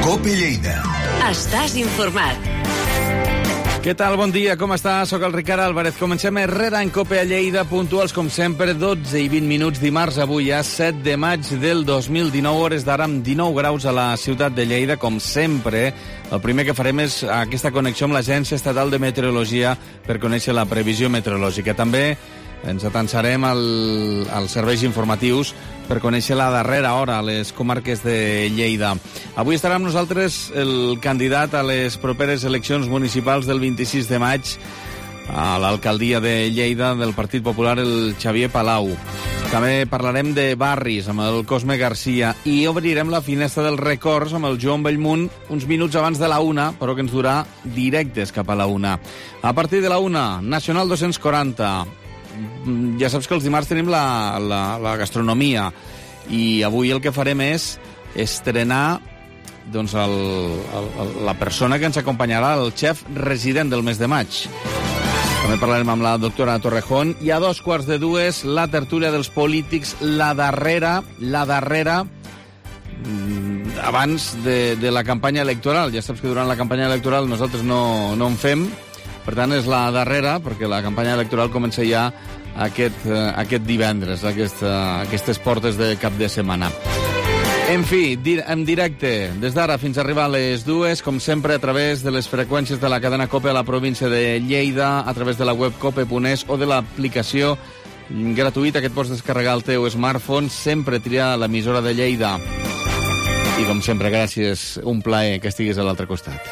COPE Lleida. Estàs informat. Què tal? Bon dia, com estàs? Soc el Ricard Álvarez. Comencem Herrera en COPE a Lleida, puntuals com sempre, 12 i 20 minuts dimarts, avui ja 7 de maig del 2019, hores d'ara amb 19 graus a la ciutat de Lleida, com sempre. El primer que farem és aquesta connexió amb l'Agència Estatal de Meteorologia per conèixer la previsió meteorològica. També ens atansarem als serveis informatius per conèixer la darrera hora a les comarques de Lleida. Avui estarà amb nosaltres el candidat a les properes eleccions municipals del 26 de maig a l'alcaldia de Lleida del Partit Popular, el Xavier Palau. També parlarem de barris amb el Cosme Garcia i obrirem la finestra dels records amb el Joan Bellmunt uns minuts abans de la 1, però que ens durà directes cap a la 1. A partir de la 1, Nacional 240. Ja saps que els dimarts tenim la gastronomia i avui el que farem és estrenar doncs, la persona que ens acompanyarà, el xef resident del mes de maig. També parlarem amb la doctora Torrejón i a 2:15 la tertúlia dels polítics, la darrera abans de la campanya electoral. Ja saps que durant la campanya electoral nosaltres no en fem. Per tant, és la darrera, perquè la campanya electoral comença ja aquest divendres, aquestes portes de cap de setmana. En fi, en directe, des d'ara fins a arribar a les 2, com sempre, a través de les freqüències de la cadena COPE a la província de Lleida, a través de la web cope.es o de l'aplicació gratuïta que et pots descarregar al teu smartphone, sempre triar l'emissora de Lleida. I, com sempre, gràcies, un plaer que estiguis a l'altre costat.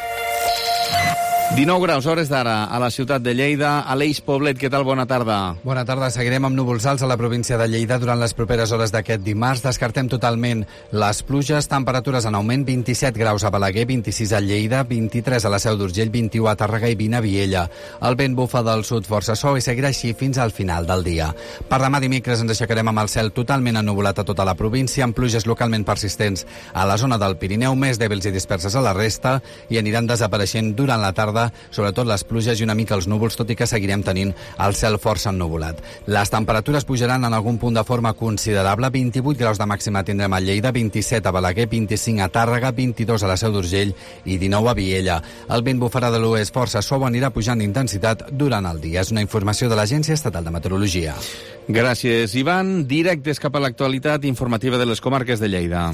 19 graus, hores d'ara, a la ciutat de Lleida. Aleix Poblet, què tal? Bona tarda. Bona tarda. Seguirem amb núvols alts a la província de Lleida durant les properes hores d'aquest dimarts. Descartem totalment les pluges. Temperatures en augment, 27 graus a Balaguer, 26 a Lleida, 23 a la Seu d'Urgell, 21 a Tàrrega i 20 a Viella. El vent bufa del sud força suau i seguirà així fins al final del dia. Per demà dimecres ens aixecarem amb el cel totalment ennuvolat a tota la província, amb pluges localment persistents a la zona del Pirineu, més dèbils i disperses a la resta, i aniran desapareixent durant la tarda, sobretot les pluges i una mica els núvols, tot i que seguirem tenint el cel força ennuvolat. Les temperatures pujaran en algun punt de forma considerable. 28 graus de màxima tindrem a Lleida, 27 a Balaguer, 25 a Tàrrega, 22 a la Seu d'Urgell i 19 a Viella. El vent bufarà de l'oest força suau, anirà pujant d'intensitat durant el dia. És una informació de l'Agència Estatal de Meteorologia. Gràcies, Ivan. Directes cap a l'actualitat informativa de les comarques de Lleida.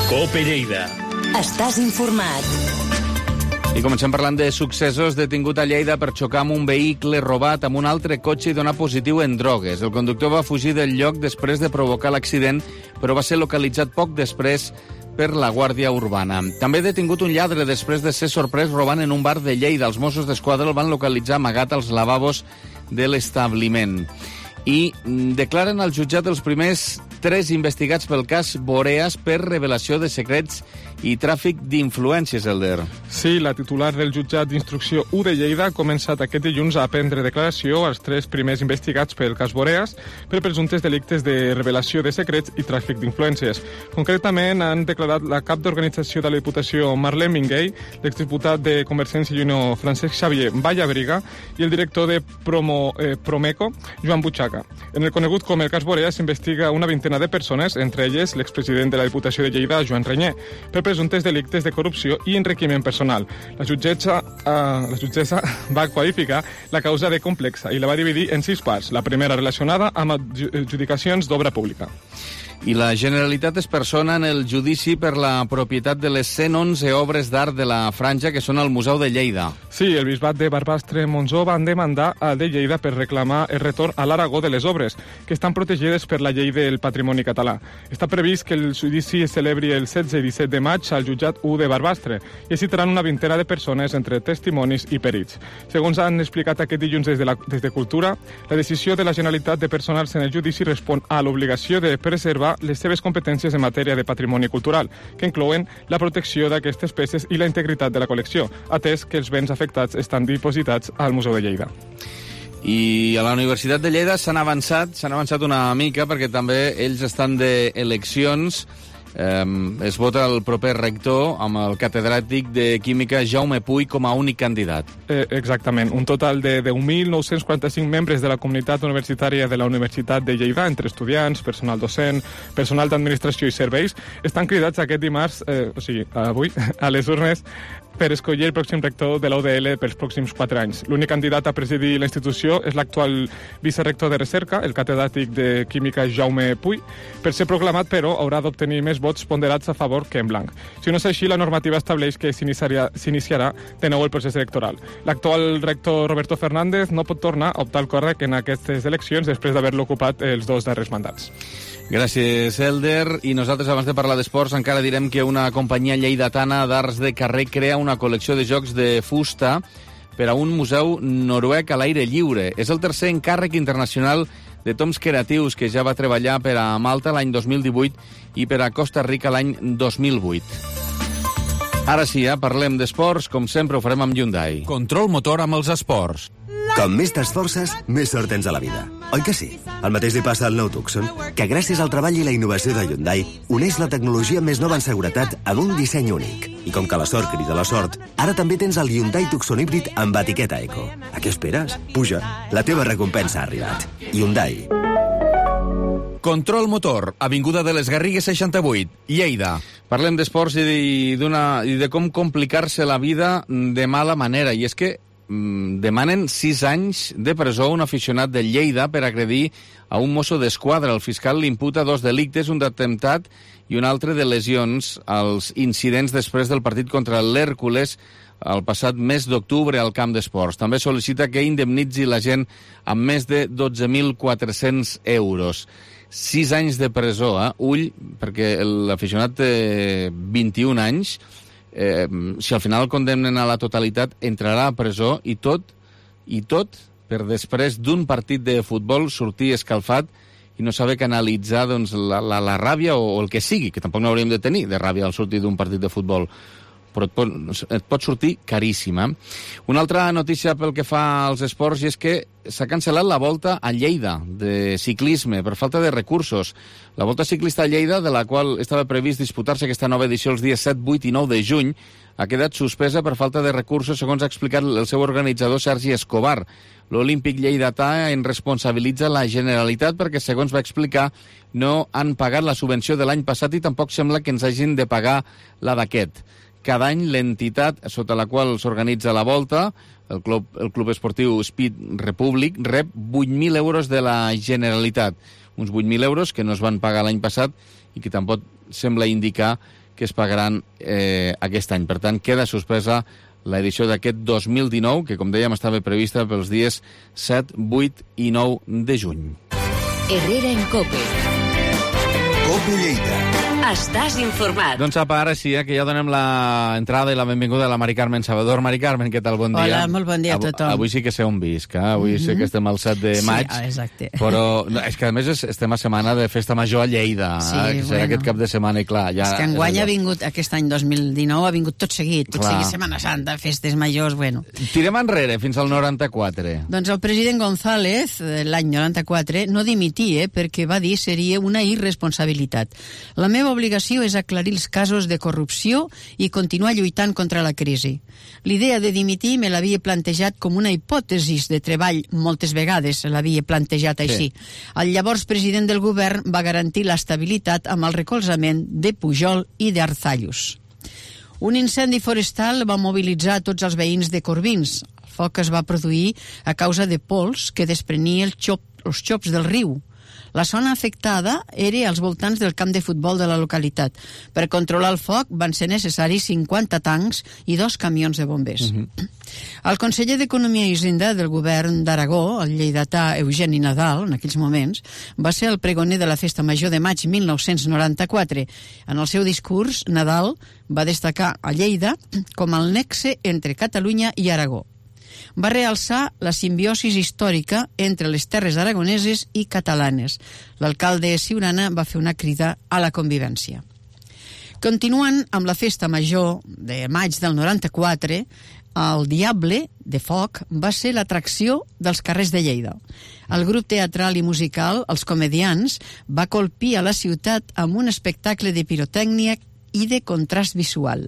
COPE Lleida. Estàs informat. I comencem parlant de successos. Detingut a Lleida per xocar amb un vehicle robat amb un altre cotxe i donar positiu en drogues. El conductor va fugir del lloc després de provocar l'accident, però va ser localitzat poc després per la Guàrdia Urbana. També detingut un lladre després de ser sorprès robant en un bar de Lleida. Els Mossos d'Esquadra el van localitzar amagat als lavabos de l'establiment. I declaren al jutjat els primers 3 investigats pel cas Boreas per revelació de secrets i tràfic d'influències, Elder. Sí, la titular del jutjat d'instrucció 1 de Lleida ha començat aquest dilluns a prendre declaració als 3 primers investigats pel cas Boreas per presumptes delictes de revelació de secrets i tràfic d'influències. Concretament, han declarat la cap d'organització de la Diputació, Marlene Minguell, l'exdiputat de Convergència i Unió, Francesc Xavier Vallabriga, i el director de Promeco, Joan Butxaca. En el conegut com el cas Boreas s'investiga una vintena de persones, entre elles l'expresident de la Diputació de Lleida, Joan Renyer, per presumptes delictes de corrupció i enriquiment personal. La jutgessa va qualificar la causa de complexa i la va dividir en 6 parts. La primera relacionada amb adjudicacions d'obra pública. I la Generalitat es persona en el judici per la propietat de les 111 obres d'art de la Franja que són al Museu de Lleida. Sí, el bisbat de Barbastre-Montsó van demandar al de Lleida per reclamar el retorn a l'Aragó de les obres, que estan protegides per la llei del patrimoni català. Està previst que el judici es celebri el 16 i 17 de maig al jutjat 1 de Barbastre i hi citaran una vintena de persones entre testimonis i perits. Segons han explicat aquest dilluns des de Cultura, la decisió de la Generalitat de personar-se en el judici respon a l'obligació de preservar les seves competències en matèria de patrimoni cultural, que inclouen la protecció d'aquestes peces i la integritat de la col·lecció, atès que els béns afectats estan dipositats al Museu de Lleida. I a la Universitat de Lleida s'han avançat una mica perquè també ells estan d'eleccions Es vota el proper rector amb el catedràtic de Química Jaume Puy com a únic candidat. Exactament. Un total de 10.945 membres de la comunitat universitària de la Universitat de Lleida, entre estudiants, personal docent, personal d'administració i serveis, estan cridats aquest dimarts, avui, a les urnes per escollir el pròxim rector de la UDL pels pròxims 4 anys. L'únic candidat a presidir la institució és l'actual vicerector de recerca, el catedràtic de Química Jaume Puy. Per ser proclamat, però, haurà d'obtenir més vots ponderats a favor que en blanc. Si no és així, la normativa estableix que s'iniciarà de nou el procés electoral. L'actual rector Roberto Fernández no pot tornar a optar al càrrec en aquestes eleccions després d'haver-lo ocupat els 2 darrers mandats. Gràcies, Elder. I nosaltres, abans de parlar d'esports, encara direm que una companyia lleidatana d'arts de carrer crea una col·lecció de jocs de fusta per a un museu noruec a l'aire lliure. És el tercer encàrrec internacional de toms creatius que ja va treballar per a Malta l'any 2018 i per a Costa Rica l'any 2008. Ara sí, parlem d'esports. Com sempre, ho farem amb Hyundai. Control motor amb els esports. Com més t'esforces, més sort tens a la vida. Oi que sí? El mateix li passa al nou Tucson, que gràcies al treball i la innovació de Hyundai uneix la tecnologia més nova en seguretat amb un disseny únic. I com que la sort crida la sort, ara també tens el Hyundai Tucson híbrid amb etiqueta Eco. A què esperes? Puja, la teva recompensa ha arribat. Hyundai. Control motor, avinguda de les Garrigues 68, Lleida. Parlem d'esports i de com complicar-se la vida de mala manera. I és que demanen 6 anys de presó a un aficionat de Lleida per agredir a un mosso d'esquadra. El fiscal li imputa 2 delictes, un d'atemptat i un altre de lesions als incidents després del partit contra l'Hèrcules el passat mes d'octubre al camp d'esports. També sol·licita que indemnitzi la gent amb més de 12.400 euros. 6 anys de presó, ull, perquè l'aficionat té 21 anys. Si al final el condemnen a la totalitat, entrarà a presó i tot per després d'un partit de futbol sortir escalfat i no saber canalitzar doncs, la ràbia o el que sigui, que tampoc no hauríem de tenir de ràbia al sortir d'un partit de futbol. Però et pot sortir caríssima. Una altra notícia pel que fa als esports és que s'ha cancel·lat la Volta a Lleida de ciclisme per falta de recursos. La Volta Ciclista a Lleida, de la qual estava previst disputar-se aquesta nova edició els dies 7, 8 i 9 de juny, ha quedat suspesa per falta de recursos, segons ha explicat el seu organitzador Sergi Escobar. L'Olímpic lleidatà en responsabilitza la Generalitat perquè, segons va explicar, no han pagat la subvenció de l'any passat i tampoc sembla que ens hagin de pagar la d'aquest. Cada any l'entitat sota la qual s'organitza la Volta, el Club Esportiu Speed Republic, rep 8.000 euros de la Generalitat. Uns 8.000 euros que no es van pagar l'any passat i que tampoc sembla indicar que es pagaran aquest any. Per tant, queda suspesa l'edició d'aquest 2019, que, com dèiem, estava prevista pels dies 7, 8 i 9 de juny. Herrera en COPE. COPE Lleida. Estàs informat. Doncs apa, ara sí, que ja donem l'entrada i la benvinguda a la Mari Carmen Salvador. Mari Carmen, què tal? Bon dia. Hola, molt bon dia a tothom. Avui sí que sé on visc, avui sé que estem al 7 de maig. Sí, exacte. Però és que a més estem a setmana de festa major a Lleida, que serà aquest cap de setmana i clar... Ja, és que enguany ha vingut, aquest any 2019, ha vingut tot seguit, Setmana Santa, festes majors, bueno. Tirem enrere, fins al 94. Doncs el president González, l'any 94, no dimitia perquè va dir seria una irresponsabilitat. La meva obligació és aclarir els casos de corrupció i continuar lluitant contra la crisi. L'idea de dimitir me l'havia plantejat com una hipòtesi de treball, moltes vegades l'havia plantejat així. Sí. El llavors president del govern va garantir l'estabilitat amb el recolzament de Pujol i d'Arzallus. Un incendi forestal va mobilitzar tots els veïns de Corbins. El foc es va produir a causa de pols que desprenia els xops del riu. La zona afectada era als voltants del camp de futbol de la localitat. Per controlar el foc van ser necessaris 50 tancs i 2 camions de bombers. El conseller d'Economia i Hisenda del govern d'Aragó, el lleidatà Eugeni Nadal, en aquells moments, va ser el pregoner de la Festa Major de maig 1994. En el seu discurs, Nadal va destacar a Lleida com el nexe entre Catalunya i Aragó. Va realçar la simbiosi històrica entre les terres aragoneses i catalanes. L'alcalde Siurana va fer una crida a la convivència. Continuant amb la festa major de maig del 94, el Diable de Foc va ser l'atracció dels carrers de Lleida. El grup teatral i musical, els Comedians, va colpir a la ciutat amb un espectacle de pirotècnia i de contrast visual.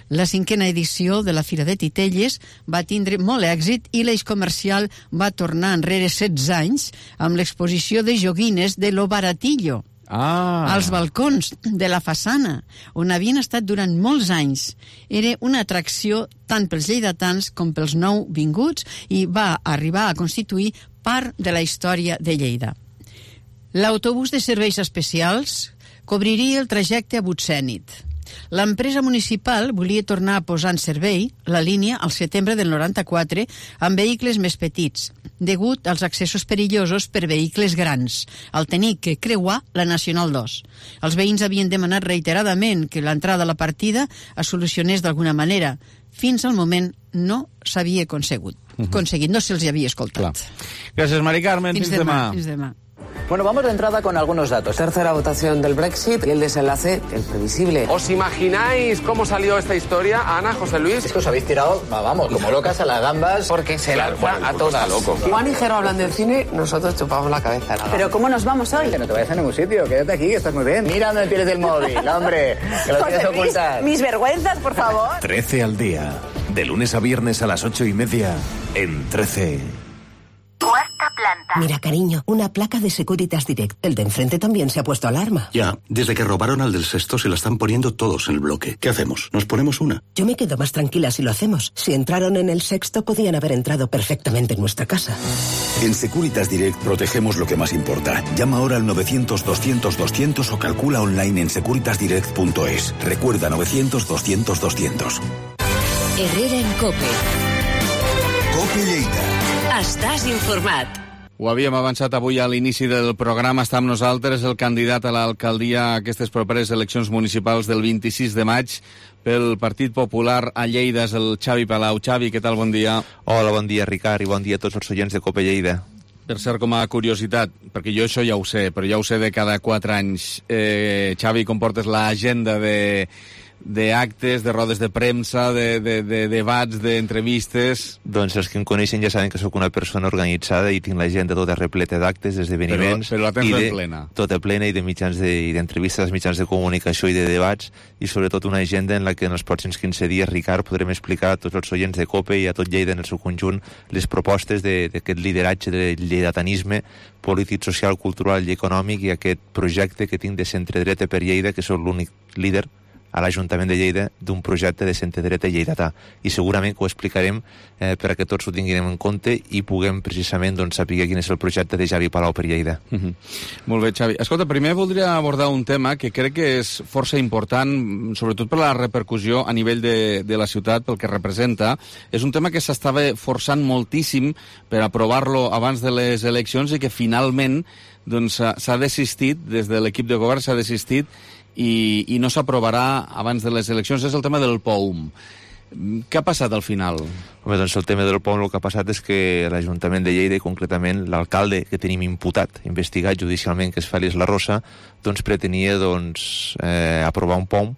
La 5a edició de la Fira de Titelles va tindre molt èxit i l'eix comercial va tornar enrere 16 anys amb l'exposició de joguines de Lo Baratillo als balcons de la façana, on havien estat durant molts anys. Era una atracció tant pels lleidatans com pels nouvinguts i va arribar a constituir part de la història de Lleida. L'autobús de serveis especials cobriria el trajecte a Butsènit. L'empresa municipal volia tornar a posar en servei la línia al setembre del 94 amb vehicles més petits, degut als accessos perillosos per vehicles grans, al tenir que creuar la Nacional 2. Els veïns havien demanat reiteradament que l'entrada a la partida es solucionés d'alguna manera. Fins al moment no s'havia aconseguit, no se'ls havia escoltat. Gràcies, Mari Carmen. Fins demà. Bueno, vamos de entrada con algunos datos. Tercera votación del Brexit y el desenlace, el previsible. ¿Os imagináis cómo salió esta historia, Ana, José Luis? Es que os habéis tirado, vamos, como locas a las gambas. Porque se lanza a todas. Loco. Juan y Jero hablan del cine, nosotros chupamos la cabeza. ¿Pero cómo nos vamos hoy? Que no te vayas a ningún sitio, quédate aquí, que estás muy bien. Mira dónde tienes el móvil, hombre, que lo tienes ocultas. Mis vergüenzas, por favor. 13 al día, de lunes a viernes a las 8:30 en 13. Cuarta planta. Mira, cariño, una placa de Securitas Direct. El de enfrente también se ha puesto alarma. Ya, desde que robaron al del sexto se la están poniendo todos en el bloque. ¿Qué hacemos? ¿Nos ponemos una? Yo me quedo más tranquila si lo hacemos. Si entraron en el sexto, podían haber entrado perfectamente en nuestra casa. En Securitas Direct protegemos lo que más importa. Llama ahora al 900-200-200 o calcula online en securitasdirect.es. Recuerda, 900-200-200. Herrera en COPE. COPE Lleida. Estàs informat. Ho havíem avançat avui a l'inici del programa. Està amb nosaltres el candidat a l'alcaldia a aquestes properes eleccions municipals del 26 de maig pel Partit Popular a Lleida, és el Xavi Palau. Xavi, què tal? Bon dia. Hola, bon dia, Ricard, i bon dia a tots els oients de COPE Lleida. Per cert, com a curiositat, perquè jo això ja ho sé, però ja ho sé de cada 4 anys. Xavi, com portes l'agenda d'actes, de rodes de premsa, de debats, d'entrevistes? Doncs els que em coneixen ja saben que sóc una persona organitzada i tinc l'agenda tota repleta d'actes, d'esdeveniments... Però la tens ben plena. Tota plena, i d'entrevistes als mitjans de comunicació i de debats, i sobretot una agenda en la que en els pròxims 15 dies, Ricard, podrem explicar a tots els oients de COPE i a tot Lleida en el seu conjunt les propostes d'aquest lideratge del lleidatanisme polític, social, cultural i econòmic, i aquest projecte que tinc de centre-dreta per Lleida, que sóc l'únic líder a l'Ajuntament de Lleida d'un projecte de centre-dreta lleidatà, i segurament que ho explicarem perquè tots ho tinguem en compte i puguem precisament saber quin és el projecte de Xavi Palau per Lleida. Molt bé, Xavi. Escolta, primer voldria abordar un tema que crec que és força important, sobretot per la repercussió a nivell de la ciutat, pel que representa. És un tema que s'estava forçant moltíssim per aprovar-lo abans de les eleccions i que finalment s'ha desistit, des de l'equip de govern s'ha desistit i no s'aprovarà abans de les eleccions. És el tema del POUM. Què ha passat al final? Home, doncs el tema del POUM, el que ha passat és que l'Ajuntament de Lleida, i concretament l'alcalde que tenim imputat, investigat judicialment, que és Fèlix La Rosa, pretenia aprovar un POUM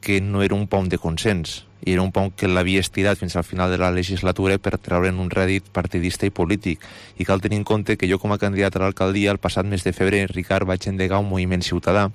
que no era un POUM de consens, i era un POUM que l'havia estirat fins al final de la legislatura per treure'n un rèdit partidista i polític. I cal tenir en compte que jo, com a candidat a l'alcaldia, el passat mes de febrer, Ricard, vaig endegar un moviment ciutadà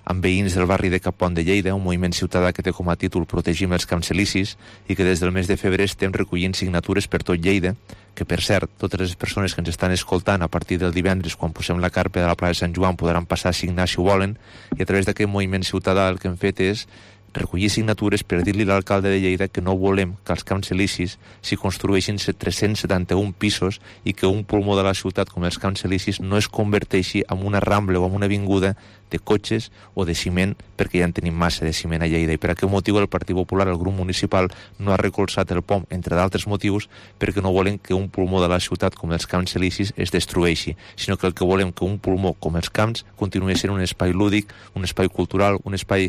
amb veïns del barri de Capont de Lleida, un moviment ciutadà que té com a títol Protegim els Camps Elisis, i que des del mes de febrer estem recollint signatures per tot Lleida, que, per cert, totes les persones que ens estan escoltant a partir del divendres, quan posem la carpa de la plaça de Sant Joan, podran passar a signar si ho volen, i a través d'aquest moviment ciutadà el que hem fet és recollir signatures per dir-li a l'alcalde de Lleida que no volem que als Camps Elisis s'hi construeixin 371 pisos i que un pulmó de la ciutat com els Camps Elisis no es converteixi en una rambla o en una avinguda de cotxes o de ciment, perquè ja en tenim massa de ciment a Lleida. I per aquest motiu el Partit Popular, el grup municipal, no ha recolzat el POM, entre d'altres motius, perquè no volen que un pulmó de la ciutat com els Camps Elisis es destrueixi, sinó que el que volem que un pulmó com els camps continuï sent un espai lúdic, un espai cultural, un espai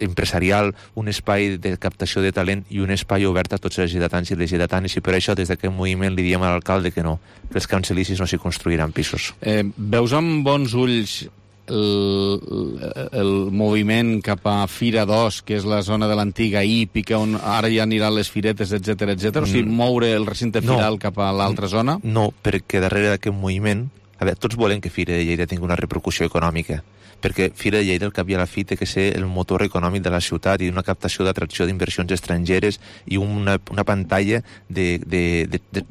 empresarial, un espai de captació de talent i un espai obert a tots els lleidatans i les lleidatanes, i per això des d'aquest moviment li diem a l'alcalde que no, que els Camps Elisis no s'hi construiran pisos. Veus amb bons ulls el moviment cap a Fira 2, que és la zona de l'antiga hípica, on ara ja aniran les firetes, etc. O sigui, moure el recinte firal cap a l'altra zona? No, perquè darrere d'aquest moviment... A veure, tots volem que Fira de Lleida tingui una repercussió econòmica, perquè Fira de Lleida, al cap i a la fi, té que ser el motor econòmic de la ciutat i una captació d'atracció d'inversions estrangeres i una pantalla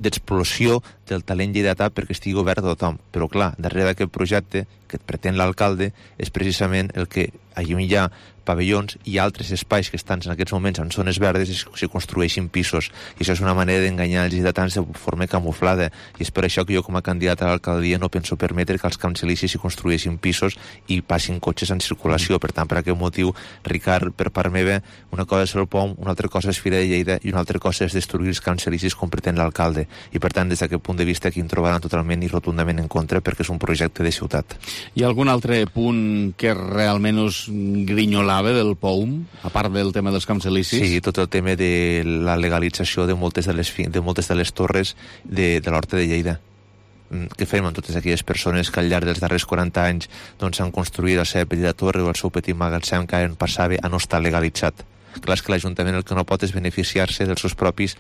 d'explosió del talent lleidatà perquè estigui obert a tothom. Però, clar, darrere d'aquest projecte que pretén l'alcalde és precisament el que allà hi ha pavellons i altres espais que estan en aquests moments en zones verdes i se construeixin pisos. I això és una manera d'enganyar els lleidatans de forma camuflada. I és per això que jo, com a candidat a l'alcaldia, no penso permetre que els camps elisis s'hi construeixin pisos i passin cotxes en circulació. Per tant, per aquest motiu, Ricard, per part meva, una cosa és el POM, una altra cosa és Fira de Lleida i una altra cosa és destruir els camps elisis com pretén l'alcalde. I per tant, des d'aquest punt de vista, aquí em trobaran totalment i rotundament en contra perquè és un projecte de ciutat. Hi ha algun altre punt que realment us grinyolava del POUM, a part del tema dels camps elisis? Sí, tot el tema de la legalització de moltes de les torres de l'Horta de Lleida. Què fem amb totes aquelles persones que al llarg dels darrers 40 anys doncs, han construït la seva petita torre o el seu petit magatzem que en passava a no estar legalitzat? Clar, és que l'Ajuntament el que no pot és beneficiar-se dels seus propis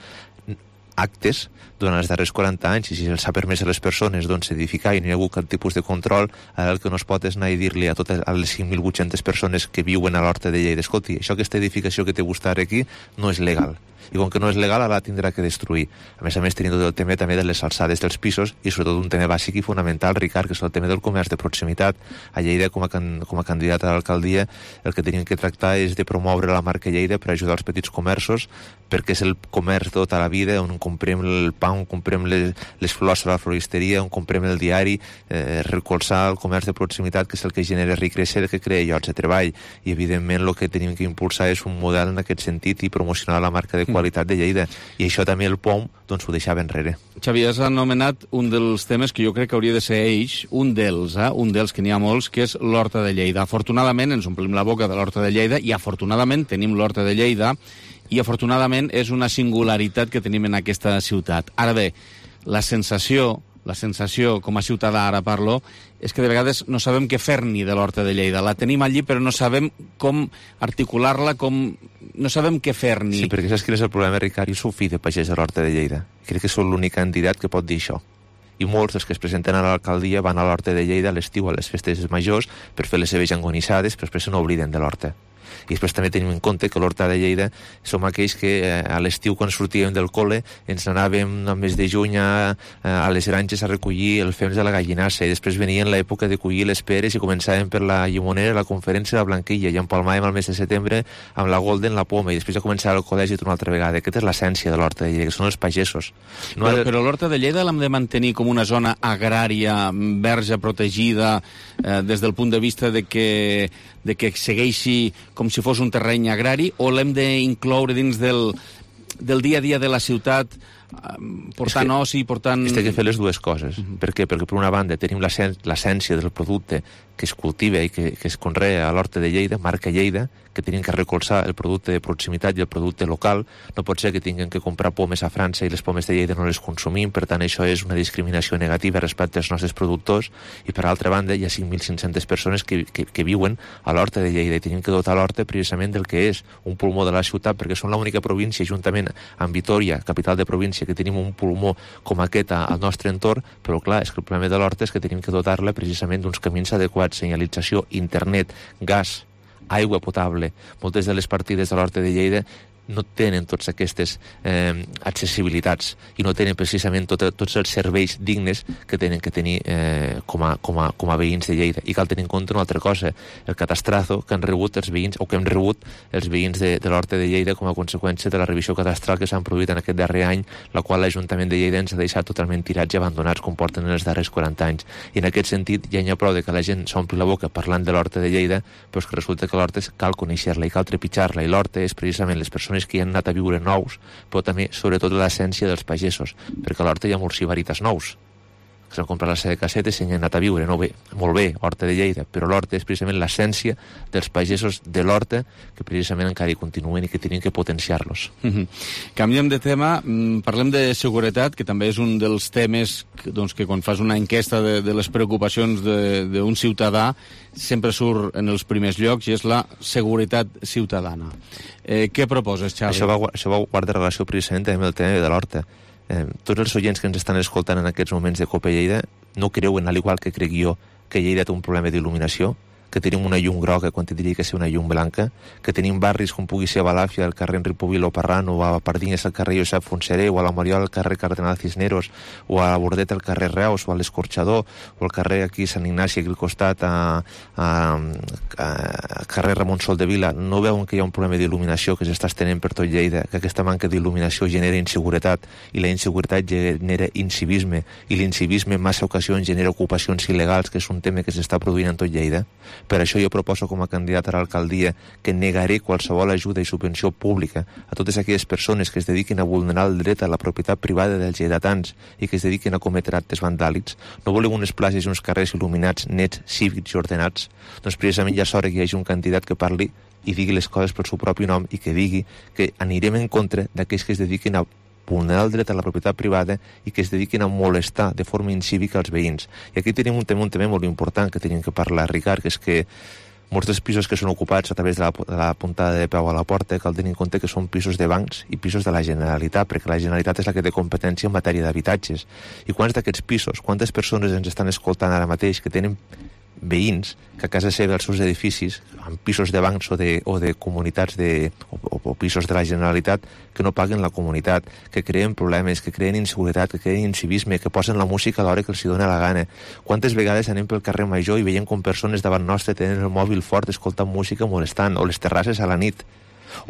actes durant els darrers 40 anys, i si els ha permès a les persones doncs, edificar i no hi ha hagut cap tipus de control, ara el que no es pot és anar i dir-li a totes les 5.800 persones que viuen a l'Horta de Lleida, escolti, això, aquesta edificació que té vostè aquí no és legal. I com que no és legal, ara la tindrà que destruir. A més, tenint tot el tema també de les alçades dels pisos i sobretot un tema bàsic i fonamental, Ricard, que és el tema del comerç de proximitat. A Lleida, com a candidat a l'alcaldia, el que tenim que tractar és de promoure la marca Lleida per ajudar els petits comerços, perquè és el comerç tota la vida, on comprem el pa, on comprem les flors a la floristeria, on comprem el diari, recolzar el comerç de proximitat, que és el que genera riquesa, que crea llocs de treball. I, evidentment, el que tenim que impulsar és un model en aquest sentit i promocionar la marca de qualitat de Lleida, i això també el POM doncs, ho deixava enrere. Xavi, has anomenat un dels temes que jo crec que hauria de ser un dels que n'hi ha molts, que és l'Horta de Lleida. Afortunadament ens omplim la boca de l'Horta de Lleida i afortunadament tenim l'Horta de Lleida i afortunadament és una singularitat que tenim en aquesta ciutat. Ara bé, la sensació, com a ciutadà ara parlo, és que de vegades no sabem què fer-n'hi de l'Horta de Lleida. La tenim allí, però no sabem com articular-la, no sabem què fer-n'hi. Sí, perquè saps quin és el problema, Ricard? Jo sóc fill de pagès a l'Horta de Lleida. Crec que sóc l'únic candidat que pot dir això. I molts dels que es presenten a l'alcaldia van a l'Horta de Lleida a l'estiu, a les festes majors, per fer les seves angonissades, però després se n'obliden de l'Horta. I després també tenim en compte que l'Horta de Lleida som aquells que a l'estiu, quan sortíem del col·le, ens anàvem al mes de juny a les granges a recollir el fems de la gallinassa, i després venien l'època de collir les peres i començàvem per la llimonera, la conferència de la Blanquilla, i empalmàvem al mes de setembre amb la Golden, la poma, i després ja començava el col·legi una altra vegada. Aquesta és l'essència de l'Horta de Lleida, que són els pagesos. Però l'Horta de Lleida l'hem de mantenir com una zona agrària, verge, protegida, des del punt de vista de que segueixi com si fos un terreny agrari, o l'hem d'incloure dins del dia a dia de la ciutat, portant oci, portant... Té que fer les dues coses. Per què? Perquè per una banda tenim l'essència del producte que es cultiva i que es conrea a l'Horta de Lleida, marca Lleida, que tenim que recolzar el producte de proximitat i el producte local. No pot ser que tinguem que comprar pomes a França i les pomes de Lleida no les consumim, per tant això és una discriminació negativa respecte als nostres productors, i per altra banda hi ha 5.500 persones que viuen a l'Horta de Lleida, i tenim que dotar l'Horta precisament del que és un pulmó de la ciutat, perquè som l'única província, juntament amb Vitòria, capital de província, que tenim un pulmó com aquest al nostre entorn, però clar, és que el problema de l'Horta és que tenim que dotar-la precisament d'uns camins adequats, senyalització, internet, gas, aigua potable. Moltes de les partides de l'Horta de Lleida no tenen totes aquestes accessibilitats i no tenen precisament tots els serveis dignes que tenen que tenir com a veïns de Lleida. I cal tenir en compte una altra cosa, el catastrazo que han rebut els veïns, o que hem rebut els veïns de l'Horta de Lleida com a conseqüència de la revisió cadastral que s'han produït en aquest darrer any, la qual l'Ajuntament de Lleida ens ha deixat totalment tirats i abandonats com porten en els darrers 40 anys. I en aquest sentit ja n'hi ha prou de que la gent s'ompli la boca parlant de l'Horta de Lleida, però és que resulta que l'Horta cal conèixer-la i cal trepitjar-la, i l'Horta és precisament les persones que hi han anat a viure nous, però també, sobretot, l'essència dels pagesos, perquè a l'Horta hi ha molts sibarites nous. que s'han comprat la seva caseta i s'han anat a viure. No, bé, molt bé, Horta de Lleida, però l'Horta és precisament l'essència dels pagesos de l'Horta que precisament encara hi continuen i que tenim que potenciar-los. Canviem de tema, parlem de seguretat, que també és un dels temes que quan fas una enquesta de les preocupacions d'un ciutadà sempre surt en els primers llocs, i és la seguretat ciutadana. Què proposes, Xavi? Això va guardar relació precisament amb el tema de l'Horta. Tots els oients que ens estan escoltant en aquests moments de Cope Lleida no creuen, al igual que crec jo, que Lleida té un problema d'il·luminació, que tenim una llum groga quan tindria que ser una llum blanca, que tenim barris com pugui ser a Balàfia, al carrer Enric Pubil o Parrano, o a Pardines al carrer Josep Fonseré, o a la Moriol al carrer Cardenal Cisneros, o a la Bordeta al carrer Reus, o a l'Escorxador, o al carrer aquí Sant Ignasi, aquí al costat, a carrer Ramon Sol de Vila. No veuen que hi ha un problema d'il·luminació que s'està estenent per tot Lleida, que aquesta manca d'il·luminació genera inseguretat, i la inseguretat genera incivisme, i l'incivisme en massa ocasions genera ocupacions il·legals, que és un tema que s'està produint en tot Lleida. Per això jo proposo com a candidat a l'alcaldia que negaré qualsevol ajuda i subvenció pública a totes aquelles persones que es dediquin a vulnerar el dret a la propietat privada dels lleidatans i que es dediquin a cometre actes vandàlics. No volem unes places i uns carrers il·luminats, nets, cívics i ordenats. Doncs precisament ja és hora que hi hagi un candidat que parli i digui les coses pel seu propi nom i que digui que anirem en contra d'aquells que es dediquin a vulnerar el dret a la propietat privada i que es dediquin a molestar de forma incívica els veïns. I aquí tenim un tema molt important que tenim que parlar, Ricard, que és que molts dels pisos que són ocupats a través de la puntada de peu a la porta cal tenir en compte que són pisos de bancs i pisos de la Generalitat, perquè la Generalitat és la que té competència en matèria d'habitatges. I quants d'aquests pisos, quantes persones ens estan escoltant ara mateix que tenen veïns que a casa seva, als seus edificis, en pisos de bancs o de comunitats o pisos de la Generalitat, que no paguen la comunitat, que creen problemes, que creen inseguretat, que creen incivisme, que posen la música a l'hora que els dona la gana. Quantes vegades anem pel carrer Major i veiem com persones davant nostre tenen el mòbil fort escoltant música molestant, o les terrasses a la nit,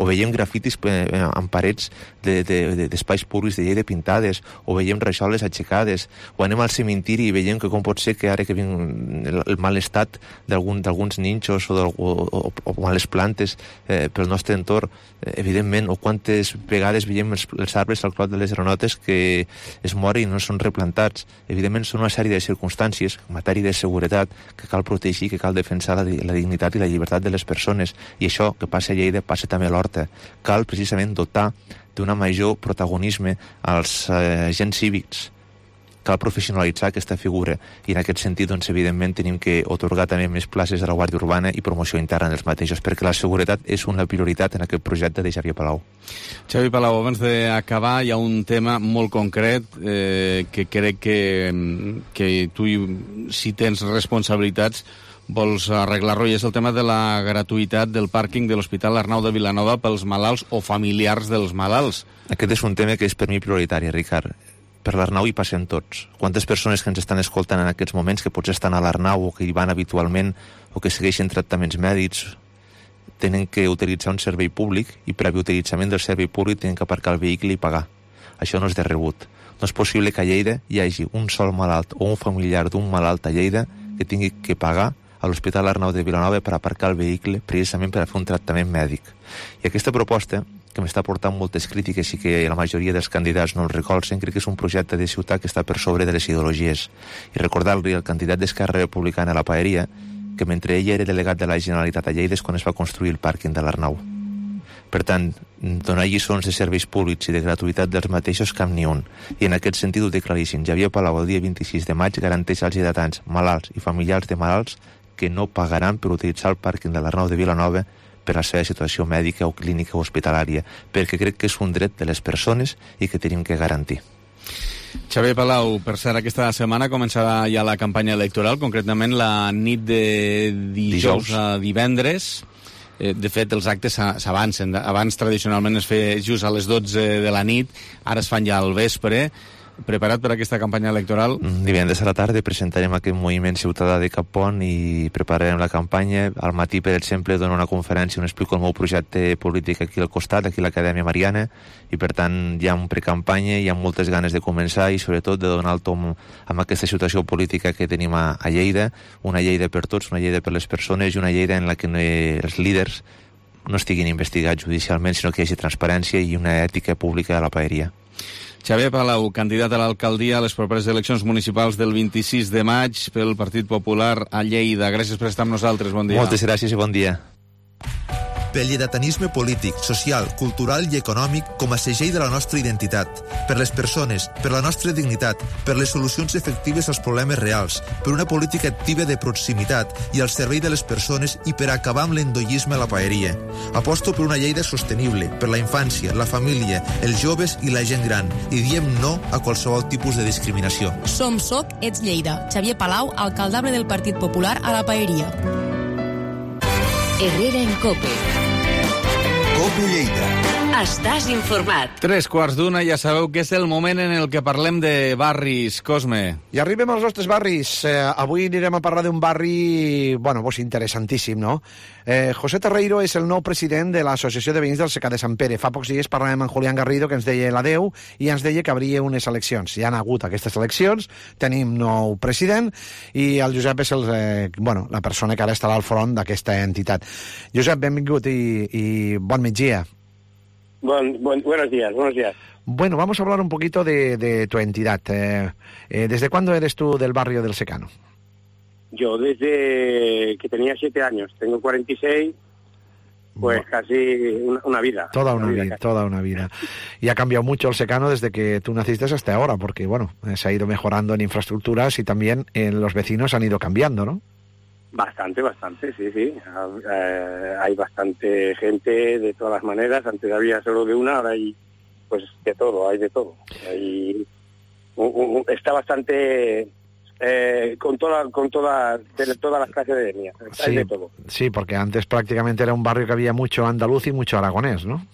o veiem grafitis en parets d'espais públics de Lleida pintades, o veiem rajoles aixecades, o anem al cementiri i veiem que com pot ser que ara que vinc el mal estat d'alguns ninxos o males plantes pel nostre entorn, evidentment, o quantes vegades veiem els arbres al clot de les granotes que es moren i no són replantats. Evidentment són una sèrie de circumstàncies en matèria de seguretat que cal protegir, que cal defensar la dignitat i la llibertat de les persones, i això que passa a Lleida passa també a l'Horta. Cal precisament dotar d'una major protagonisme als agents cívics. Cal professionalitzar aquesta figura, i en aquest sentit, doncs, evidentment, tenim que atorgar també més places a la Guàrdia Urbana i promoció interna dels mateixos, perquè la seguretat és una prioritat en aquest projecte de Xavier Palau. Xavi Palau, abans d'acabar, hi ha un tema molt concret que crec que tu, si tens responsabilitats, vols arreglar-lo, i és el tema de la gratuïtat del pàrquing de l'Hospital Arnau de Vilanova pels malalts o familiars dels malalts. Aquest és un tema que és per mi prioritari, Ricard. Per l'Arnau hi passem tots. Quantes persones que ens estan escoltant en aquests moments, que potser estan a l'Arnau o que hi van habitualment o que segueixen tractaments mèdics, tenen que utilitzar un servei públic i previ utilitzament del servei públic tenen que aparcar el vehicle i pagar. Això no és de rebut. No és possible que a Lleida hi hagi un sol malalt o un familiar d'un malalt a Lleida que tingui que pagar a l'Hospital Arnau de Vilanova per aparcar el vehicle precisament per a fer un tractament mèdic. I aquesta proposta, que m'està portant moltes crítiques i que la majoria dels candidats no el recolzen, crec que és un projecte de ciutat que està per sobre de les ideologies. I recordar-li al candidat d'Esquerra Republicana a la Paeria que mentre ell era delegat de la Generalitat a Lleida és quan es va construir el pàrquing de l'Arnau. Per tant, donar lliçons de serveis públics i de gratuïtat dels mateixos cap ni un. I en aquest sentit ho té claríssim. Xavier Palau, el dia 26 de maig, garanteix als lleidatans, malalts i familiars de malalts que no pagaran per utilitzar el pàrquing de l'Arnau de Vilanova per la seva situació mèdica o clínica o hospitalària, perquè crec que és un dret de les persones i que tenim que garantir. Xavier Palau, per cert, aquesta setmana començarà ja la campanya electoral, concretament la nit de dijous a divendres. De fet, els actes s'avancen. Abans, tradicionalment, es feia just a les 12 de la nit, ara es fan ja al vespre. Preparat per aquesta campanya electoral? Divendres a la tarda presentarem aquest moviment ciutadà de Capont i prepararem la campanya. Al matí, per exemple, dono una conferència on explico el meu projecte polític aquí al costat, aquí a l'Acadèmia Mariana, i per tant hi ha un precampanya, hi ha moltes ganes de començar i sobretot de donar el tom amb aquesta situació política que tenim a Lleida, una Lleida per tots, una Lleida per les persones i una Lleida en la que els líders no estiguin investigats judicialment, sinó que hi hagi transparència i una ètica pública a la paeria. Xavier Palau, candidat a l'alcaldia a les properes eleccions municipals del 26 de maig pel Partit Popular a Lleida. Gràcies per estar amb nosaltres, bon dia. Moltes gràcies i bon dia. Pel lleidatanisme polític, social, cultural i econòmic com a segell de la nostra identitat. Per les persones, per la nostra dignitat, per les solucions efectives als problemes reals, per una política activa de proximitat i al servei de les persones i per acabar amb l'endoyisme a la paeria. Aposto per una Lleida sostenible, per la infància, la família, els joves i la gent gran, i diem no a qualsevol tipus de discriminació. Som SOC, ets Lleida. Xavier Palau, alcaldable del Partit Popular a la Paeria. Herrera en COPE. COPE Lleida. Estàs informat. 3:15, ja sabeu que és el moment en el que parlem de barris. Cosme. I arribem als nostres barris. Avui anirem a parlar d'un barri, bueno, pues interessantíssim, no? José Terreiro és el nou president de l'Associació de Veïns del Secà de Sant Pere. Fa pocs dies parlàvem amb Julián Garrido, que ens deia l'adeu, i ens deia que hauria unes eleccions. Ja han hagut aquestes eleccions, tenim nou president, i el Josep és la persona que ara estarà al front d'aquesta entitat. Josep, benvingut i bon migdia. Buenos días. Bueno, vamos a hablar un poquito de tu entidad. ¿Desde cuándo eres tú del barrio del Secano? Yo desde que tenía 7 años, tengo 46, pues casi una vida. Toda una vida. Y ha cambiado mucho el Secano desde que tú naciste hasta ahora, porque bueno, se ha ido mejorando en infraestructuras y también los vecinos han ido cambiando, ¿no? Bastante, sí. Hay bastante gente de todas las maneras. Antes había solo de una, ahora hay pues de todo, hay de todo. Está bastante con todas las clases de etnias. Hay de todo. Sí, porque antes prácticamente era un barrio que había mucho andaluz y mucho aragonés, ¿no?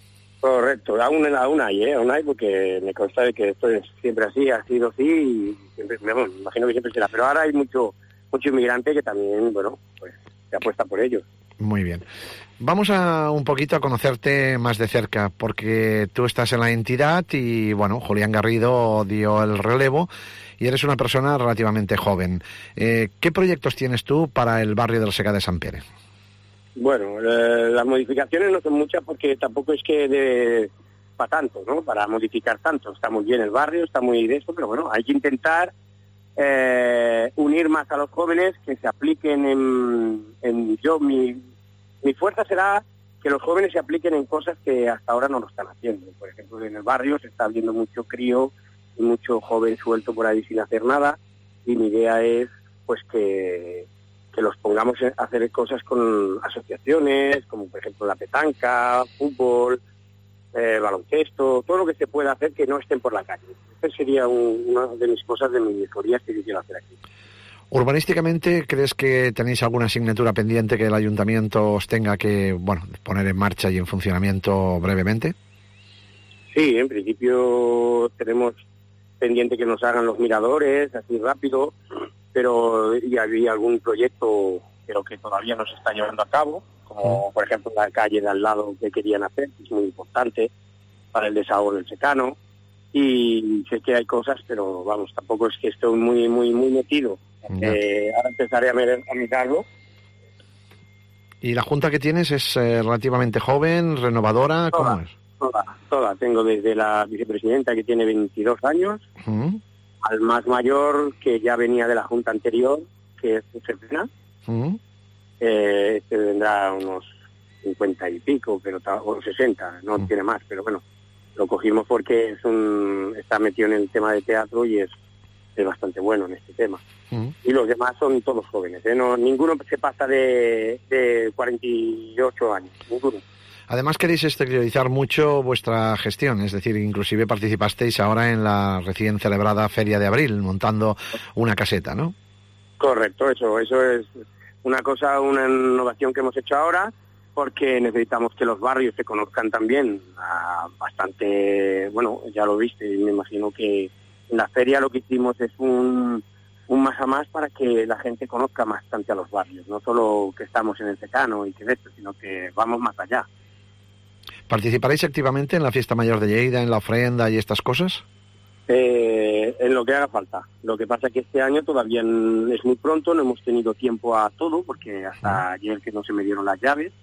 Correcto, aún hay, porque me consta de que esto es siempre así, ha sido así, y siempre, me imagino que siempre será. Pero ahora hay mucho inmigrante que también, bueno, pues se apuesta por ellos. Muy bien. Vamos un poquito a conocerte más de cerca, porque tú estás en la entidad y, bueno, Julián Garrido dio el relevo y eres una persona relativamente joven. ¿Qué proyectos tienes tú para el barrio del Secà de Sant Pere? Bueno, las modificaciones no son muchas porque tampoco es que para tanto, ¿no? Para modificar tanto. Está muy bien el barrio, está muy de eso, pero bueno, hay que intentar unir más a los jóvenes, que se apliquen mi fuerza será que los jóvenes se apliquen en cosas que hasta ahora no lo están haciendo. Por ejemplo, en el barrio se está viendo mucho crío y mucho joven suelto por ahí sin hacer nada, y mi idea es pues que los pongamos a hacer cosas con asociaciones, como por ejemplo la petanca, fútbol, baloncesto, todo lo que se pueda hacer que no estén por la calle. Esa sería una de mis cosas, de mis mejorías que yo quiero hacer aquí. Urbanísticamente, ¿crees que tenéis alguna asignatura pendiente que el ayuntamiento os tenga que, bueno, poner en marcha y en funcionamiento brevemente? Sí, en principio tenemos pendiente que nos hagan los miradores, así rápido, pero y había algún proyecto, pero que todavía no se está llevando a cabo, como por ejemplo la calle de al lado que querían hacer, que es muy importante para el desahogo del Secano, y sé que hay cosas, pero vamos, tampoco es que estoy muy metido. Ahora empezaré a mirarlo. ¿Y la junta que tienes es relativamente joven, renovadora? ¿Cómo es? Toda. Tengo desde la vicepresidenta, que tiene 22 años, al más mayor, que ya venía de la junta anterior, que es Josefina. Este vendrá unos 50 y pico, pero o 60, no tiene más, pero bueno, lo cogimos porque está metido en el tema de teatro y es bastante bueno en este tema. Y los demás son todos jóvenes, no, ninguno se pasa de 48 años, ninguno. Además queréis exteriorizar mucho vuestra gestión, es decir, inclusive participasteis ahora en la recién celebrada Feria de Abril, montando una caseta, ¿no? Correcto, eso es una innovación que hemos hecho ahora, porque necesitamos que los barrios se conozcan también bastante, bueno, ya lo viste, y me imagino que en la feria lo que hicimos es un más a más para que la gente conozca bastante a los barrios, no solo que estamos en el Secano y que de esto, sino que vamos más allá. ¿Participaréis activamente en la Fiesta Mayor de Lleida, en la ofrenda y estas cosas? En lo que haga falta. Lo que pasa es que este año todavía es muy pronto, no hemos tenido tiempo a todo, porque hasta ayer que no se me dieron las llaves,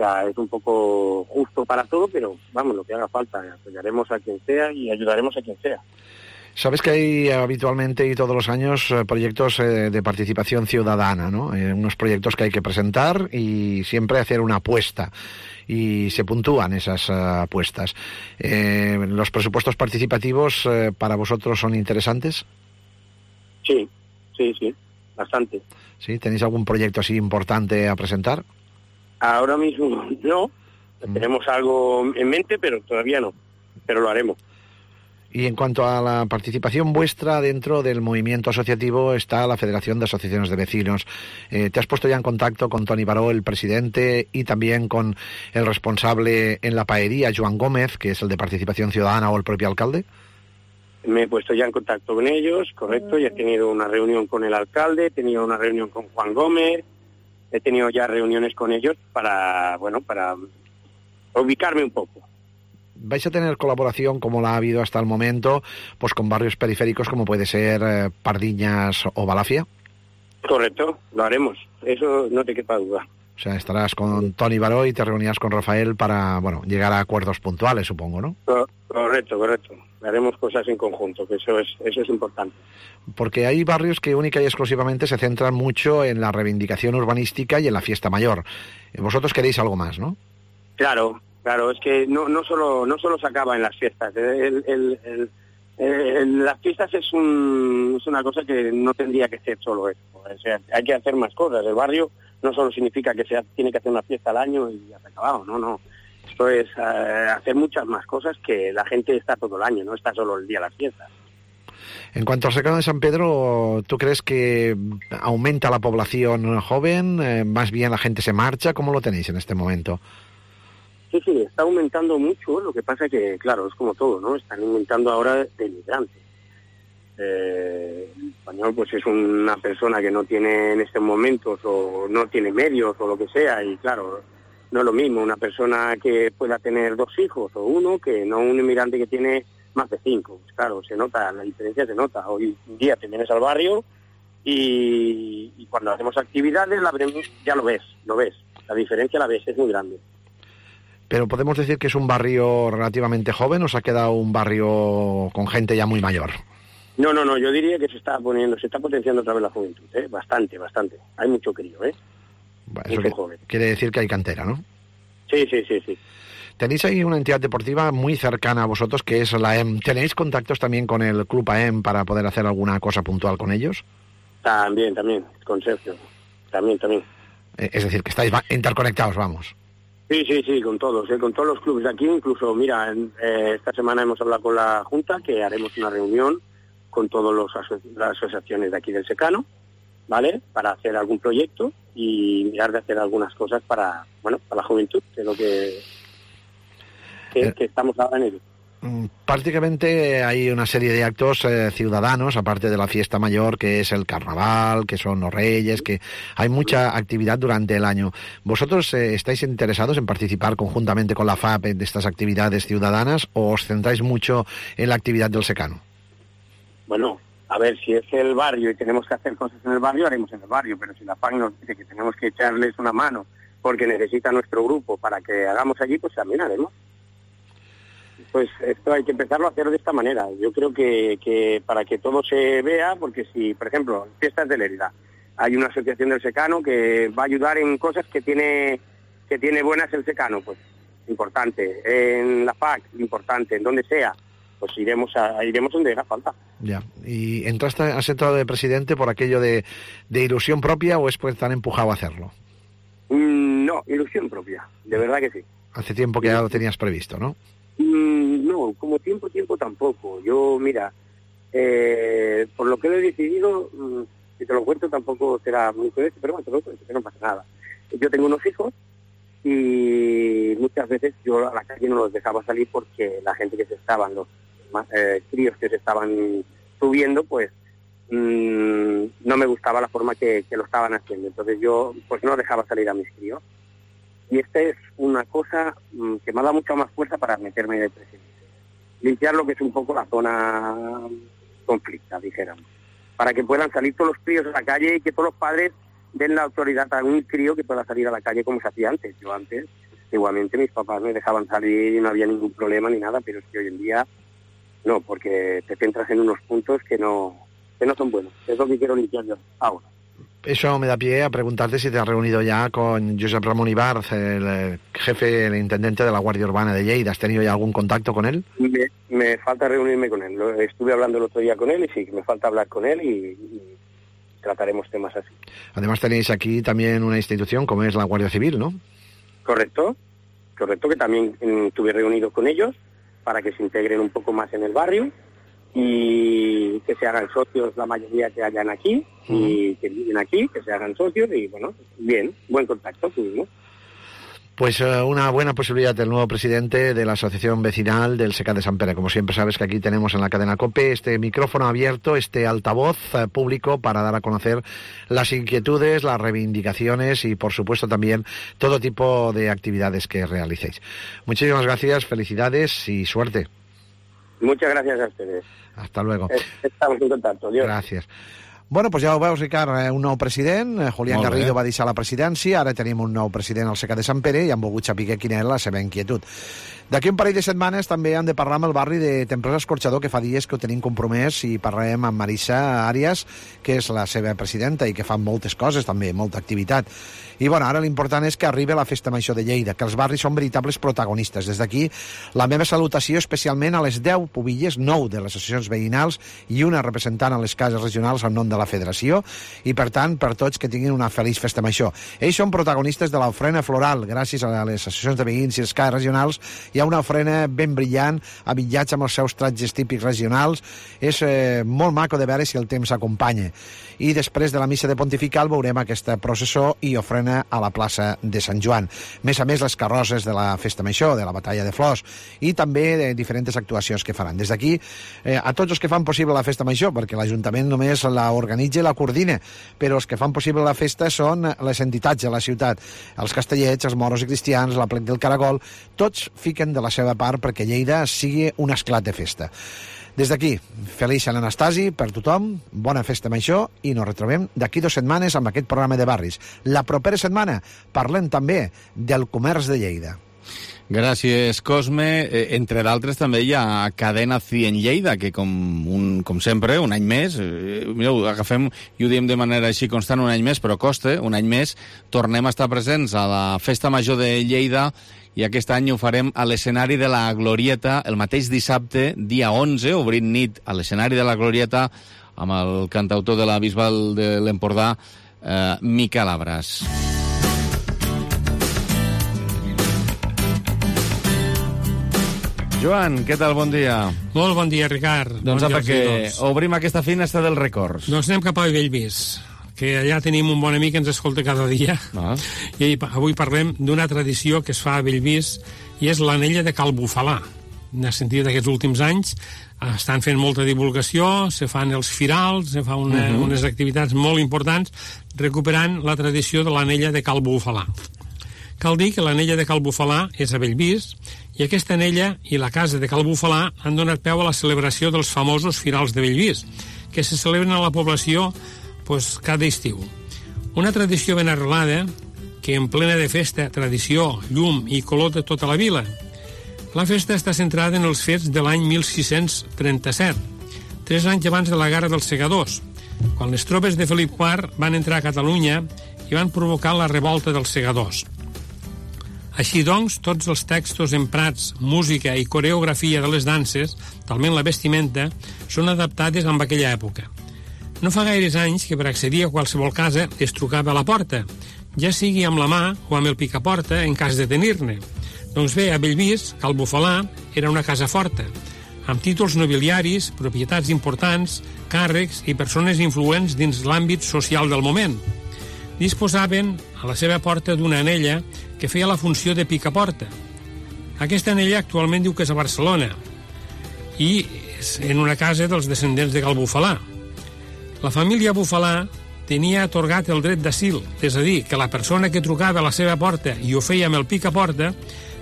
sea, es un poco justo para todo, pero vamos, lo que haga falta, apoyaremos a quien sea y ayudaremos a quien sea. Sabes que hay habitualmente y todos los años proyectos de participación ciudadana, ¿no? Unos proyectos que hay que presentar y siempre hacer una apuesta. Y se puntúan esas apuestas. ¿Los presupuestos participativos para vosotros son interesantes? Sí, bastante. ¿Sí? ¿Tenéis algún proyecto así importante a presentar? Ahora mismo no. Tenemos algo en mente, pero todavía no. Pero lo haremos. Y en cuanto a la participación vuestra dentro del movimiento asociativo está la Federación de Asociaciones de Vecinos. ¿Te has puesto ya en contacto con Toni Baró, el presidente, y también con el responsable en la paería, Joan Gómez, que es el de Participación Ciudadana, o el propio alcalde? Me he puesto ya en contacto con ellos, correcto, y he tenido una reunión con el alcalde, he tenido una reunión con Juan Gómez, he tenido ya reuniones con ellos para ubicarme un poco. ¿Vais a tener colaboración, como la ha habido hasta el momento, pues con barrios periféricos como puede ser Pardiñas o Balafia? Correcto, lo haremos, eso no te quepa duda. O sea, estarás con Toni Baró y te reunirás con Rafael para, llegar a acuerdos puntuales, supongo, ¿no? Correcto. Haremos cosas en conjunto, que eso es importante. Porque hay barrios que única y exclusivamente se centran mucho en la reivindicación urbanística y en la fiesta mayor. Vosotros queréis algo más, ¿no? Claro, es que no solo se acaba en las fiestas. Las fiestas es una cosa que no tendría que ser solo eso. O sea, hay que hacer más cosas. El barrio no solo significa que tiene que hacer una fiesta al año y ya se ha acabado, no. Esto es hacer muchas más cosas, que la gente está todo el año, no está solo el día de las fiestas. En cuanto al secano de San Pedro, ¿tú crees que aumenta la población joven? ¿Más bien la gente se marcha? ¿Cómo lo tenéis en este momento? Sí, está aumentando mucho. Lo que pasa que, claro, es como todo, ¿no? Están aumentando ahora de inmigrantes. El español, pues, es una persona que no tiene en estos momentos, o no tiene medios, o lo que sea, y claro, no es lo mismo una persona que pueda tener 2 hijos o uno que no un inmigrante que tiene más de 5. Pues claro, se nota, la diferencia se nota. Hoy en día te vienes al barrio y cuando hacemos actividades ya lo ves. La diferencia la ves, es muy grande. Pero podemos decir que es un barrio relativamente joven, ¿o se ha quedado un barrio con gente ya muy mayor? No, yo diría que se está potenciando otra vez la juventud, bastante. Hay mucho crío, Eso quiere decir que hay cantera, ¿no? Sí. Tenéis ahí una entidad deportiva muy cercana a vosotros, que es la EM. ¿Tenéis contactos también con el Club AEM para poder hacer alguna cosa puntual con ellos? También, con Sergio. También. Es decir, que estáis interconectados, vamos. Sí, con todos los clubes de aquí. Incluso, mira, esta semana hemos hablado con la Junta que haremos una reunión con todas las asociaciones de aquí del secano, ¿vale? Para hacer algún proyecto y mirar de hacer algunas cosas para la juventud, que es lo que estamos ahora en ello. Prácticamente hay una serie de actos ciudadanos, aparte de la fiesta mayor, que es el carnaval, que son los reyes, que hay mucha actividad durante el año. ¿Vosotros estáis interesados en participar conjuntamente con la FAP de estas actividades ciudadanas, o os centráis mucho en la actividad del secano? Bueno, a ver, si es el barrio y tenemos que hacer cosas en el barrio, haremos en el barrio, pero si la FAC nos dice que tenemos que echarles una mano porque necesita nuestro grupo para que hagamos allí, pues también haremos. Pues esto hay que empezarlo a hacer de esta manera. Yo creo que para que todo se vea, porque si, por ejemplo, fiestas de Lérida, hay una asociación del secano que va a ayudar en cosas que tiene buenas el secano, pues importante. En la FAC, importante. En donde sea, pues iremos donde haga falta. Ya. ¿Y has entrado de presidente por aquello de ilusión propia, o es pues tan empujado a hacerlo? No, ilusión propia, de verdad que sí. Hace tiempo que ya lo tenías previsto, ¿no? No, como tiempo tampoco. Yo, mira, por lo que lo he decidido, si te lo cuento tampoco será muy correcto, pero bueno, te lo cuento, que no pasa nada. Yo tengo unos hijos y muchas veces yo a la calle no los dejaba salir porque la gente los críos que se estaban subiendo, pues no me gustaba la forma que lo estaban haciendo. Entonces yo pues no dejaba salir a mis críos. Y esta es una cosa que me ha dado mucha más fuerza para meterme de presidente. Limpiar lo que es un poco la zona conflicta, dijéramos. Para que puedan salir todos los críos a la calle y que todos los padres den la autoridad a un crío que pueda salir a la calle como se hacía antes. Yo antes antiguamente mis papás me dejaban salir y no había ningún problema ni nada, pero es que hoy en día no, porque te centras en unos puntos que no son buenos. Es lo que quiero limpiar yo ahora. Eso me da pie a preguntarte si te has reunido ya con Josep Ramón Ibarz, el jefe, el intendente de la Guardia Urbana de Lleida. ¿Has tenido ya algún contacto con él? Me falta reunirme con él. Estuve hablando el otro día con él y sí, me falta hablar con él y trataremos temas así. Además tenéis aquí también una institución como es la Guardia Civil, ¿no? Correcto, que también estuve reunido con ellos para que se integren un poco más en el barrio y que se hagan socios la mayoría que hayan aquí y que viven aquí, que se hagan socios y bueno, bien, buen contacto tuvimos. Pues una buena posibilidad del nuevo presidente de la Asociación Vecinal del Secad de Sant Pere. Como siempre sabes que aquí tenemos en la cadena COPE este micrófono abierto, este altavoz público para dar a conocer las inquietudes, las reivindicaciones y por supuesto también todo tipo de actividades que realicéis. Muchísimas gracias, felicidades y suerte. Muchas gracias a ustedes. Hasta luego. Estamos en contacto. Adiós. Gràcies. Bueno, doncs ja ho veus, Ricard, un nou president. Julián Garrido va deixar la presidència, ara tenim un nou president al Secad de Sant Pere i han volgut saber quina era la seva inquietud. D'aquí un parell de setmanes també hem de parlar amb el barri de Temprós Escorxador, que fa dies que ho tenim compromès, i parlarem amb Marisa Arias, que és la seva presidenta i que fa moltes coses també, molta activitat. I bueno, ara l'important és que arribi la Festa Major de Lleida, que els barris són veritables protagonistes. Des d'aquí, la meva salutació especialment a les 10 pubilles, 9 de les associacions veïnals i una representant a les cases regionals en nom de la federació, i per tant, per tots que tinguin una feliç Festa Major. Ells són protagonistes de l'ofrena floral. Gràcies a les associacions de veïns i les cases regionals hi ha una ofrena ben brillant, abillats amb els seus tratges típics regionals. És molt maco de veure si el temps acompanya. I després de la missa de Pontifical veurem aquesta processó i ofrena a la plaça de Sant Joan. Més a més, les carrosses de la Festa Major, de la Batalla de Flors, i també de diferents actuacions que faran. Des d'aquí, a tots els que fan possible la Festa Major, perquè l'Ajuntament només la organitza i la coordina, però els que fan possible la festa són les entitats de la ciutat, els castellets, els moros i cristians, la Plec del Caragol, tots fiquen de la seva part perquè Lleida sigui un esclat de festa. Des d'aquí, feliç Sant Anastasi per tothom, bona Festa Major i nos retrobem d'aquí 2 setmanes amb aquest programa de barris. La propera setmana parlem també del comerç de Lleida. Gràcies, Cosme. Entre d'altres també hi ha Cadena 100 Lleida, que com sempre, un any més, mireu, agafem i ho diem de manera així constant un any més, però costa, un any més, tornem a estar presents a la Festa Major de Lleida i aquest any ho farem a l'escenari de la Glorieta el mateix dissabte, dia 11, obrint nit a l'escenari de la Glorieta amb el cantautor de la Bisbal de l'Empordà, Miquel Abras. Joan, què tal? Bon dia. Molt bon dia, Ricard. Doncs bon apa, que obrim aquesta finestra dels records. Doncs anem cap a Bellvís, que allà tenim un bon amic que ens escolta cada dia. I avui parlem d'una tradició que es fa a Bellvís i és l'anella de Cal Bufalà. En el sentit d'aquests últims anys estan fent molta divulgació, se fan els firals, se fan unes activitats molt importants recuperant la tradició de l'anella de Cal Bufalà. Cal dir que l'anella de Cal Bufalà és a Bellvís i aquesta anella i la casa de Cal Bufalà han donat peu a la celebració dels famosos firals de Bellvís, que se celebren a la població cada estiu. Una tradició ben arrelada que en plena de festa, tradició, llum i color de tota la vila. La festa està centrada en els fets de l'any 1637, 3 anys abans de la Guerra dels Segadors, quan les tropes de Felip IV van entrar a Catalunya i van provocar la revolta dels segadors. Així doncs, tots els textos emprats, música i coreografia de les danses, talment la vestimenta, són adaptades amb aquella època. No fa gaires anys que per accedir a qualsevol casa es trucava a la porta, ja sigui amb la mà o amb el picaporta en cas de tenir-ne. Doncs bé, a Bellvís, Cal Bufalà era una casa forta, amb títols nobiliaris, propietats importants, càrrecs i persones influents dins l'àmbit social del moment. Disposaven a la seva porta d'una anella que feia la funció de picaporta. Aquesta anella actualment diu que és a Barcelona i és en una casa dels descendents de Cal Bufalà. La família Bufalà tenia atorgat el dret d'asil, és a dir, que la persona que trucava a la seva porta i ho feia amb el picaporta,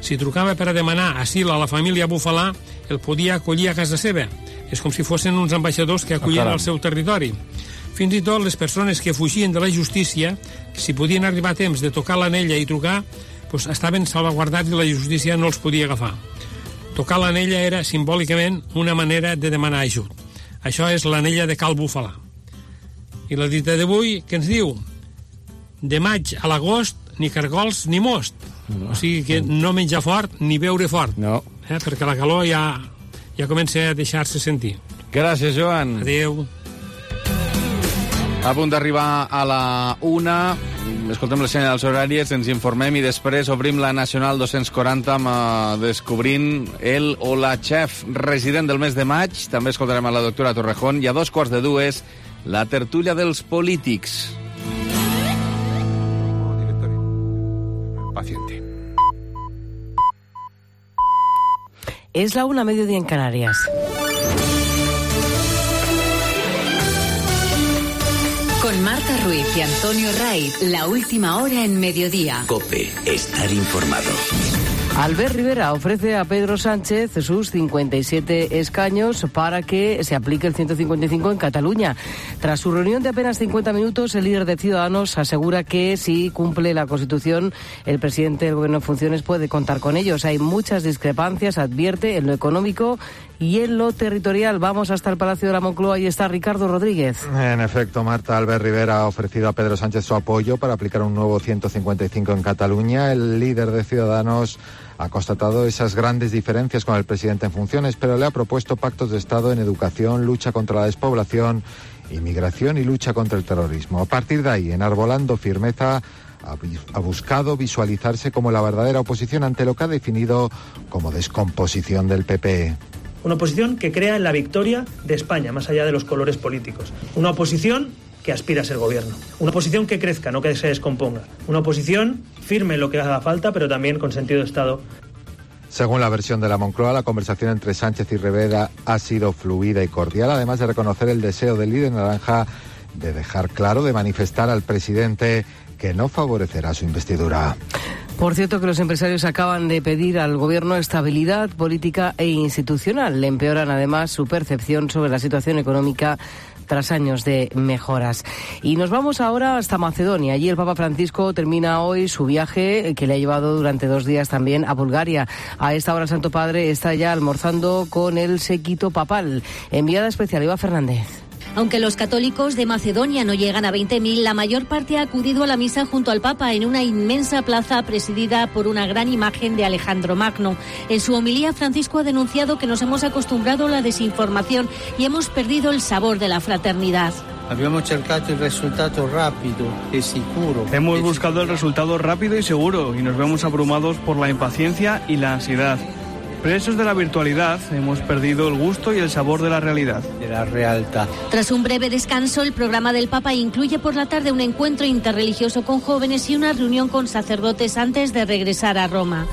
si trucava per a demanar asil a la família Bufalà, el podia acollir a casa seva. És com si fossin uns ambaixadors que acollien al seu territori. Fins i tot les persones que fugien de la justícia, si podien arribar a temps de tocar l'anella i trucar, doncs estaven salvaguardats i la justícia no els podia agafar. Tocar l'anella era simbòlicament una manera de demanar ajut. Això és l'anella de Cal Bufalà. I la dita d'avui, què ens diu? De maig a l'agost, ni cargols ni most. No. O sigui que no menjar fort ni beure fort. No. Perquè la calor ja comença a deixar-se sentir. Gràcies, Joan. Adéu. A punt d'arribar a la 1, escoltem les senyals horàries, ens informem i després obrim la Nacional 240 amb descobrint el o la xef resident del mes de maig. També escoltarem a la doctora Torrejón i a 2:45 la tertúlia dels polítics. Paciente. Es la 1, mediodía en Canarias. Con Marta Ruiz y Antonio Raiz, la última hora en mediodía. COPE, estar informado. Albert Rivera ofrece a Pedro Sánchez sus 57 escaños para que se aplique el 155 en Cataluña. Tras su reunión de apenas 50 minutos, el líder de Ciudadanos asegura que si cumple la Constitución, el presidente del Gobierno en funciones puede contar con ellos. Hay muchas discrepancias, advierte, en lo económico y en lo territorial. Vamos hasta el Palacio de la Moncloa. Ahí está Ricardo Rodríguez. En efecto, Marta, Albert Rivera ha ofrecido a Pedro Sánchez su apoyo para aplicar un nuevo 155 en Cataluña. El líder de Ciudadanos ha constatado esas grandes diferencias con el presidente en funciones, pero le ha propuesto pactos de Estado en educación, lucha contra la despoblación, inmigración y lucha contra el terrorismo. A partir de ahí, enarbolando firmeza, ha buscado visualizarse como la verdadera oposición ante lo que ha definido como descomposición del PP. Una oposición que crea en la victoria de España, más allá de los colores políticos. Una oposición que aspira a ser gobierno. Una oposición que crezca, no que se descomponga. Una oposición firme en lo que haga falta, pero también con sentido de Estado. Según la versión de la Moncloa, la conversación entre Sánchez y Rivera ha sido fluida y cordial, además de reconocer el deseo del líder naranja de dejar claro, de manifestar al presidente que no favorecerá su investidura. Por cierto, que los empresarios acaban de pedir al Gobierno estabilidad política e institucional. Le empeoran además su percepción sobre la situación económica tras años de mejoras. Y nos vamos ahora hasta Macedonia. Allí el Papa Francisco termina hoy su viaje que le ha llevado durante 2 días también a Bulgaria. A esta hora el Santo Padre está ya almorzando con el séquito papal. Enviada especial, Eva Fernández. Aunque los católicos de Macedonia no llegan a 20.000, la mayor parte ha acudido a la misa junto al Papa en una inmensa plaza presidida por una gran imagen de Alejandro Magno. En su homilía, Francisco ha denunciado que nos hemos acostumbrado a la desinformación y hemos perdido el sabor de la fraternidad. Hemos buscado el resultado rápido y seguro y nos vemos abrumados por la impaciencia y la ansiedad. Presos de la virtualidad, hemos perdido el gusto y el sabor de la realidad. Tras un breve descanso, el programa del Papa incluye por la tarde un encuentro interreligioso con jóvenes y una reunión con sacerdotes antes de regresar a Roma.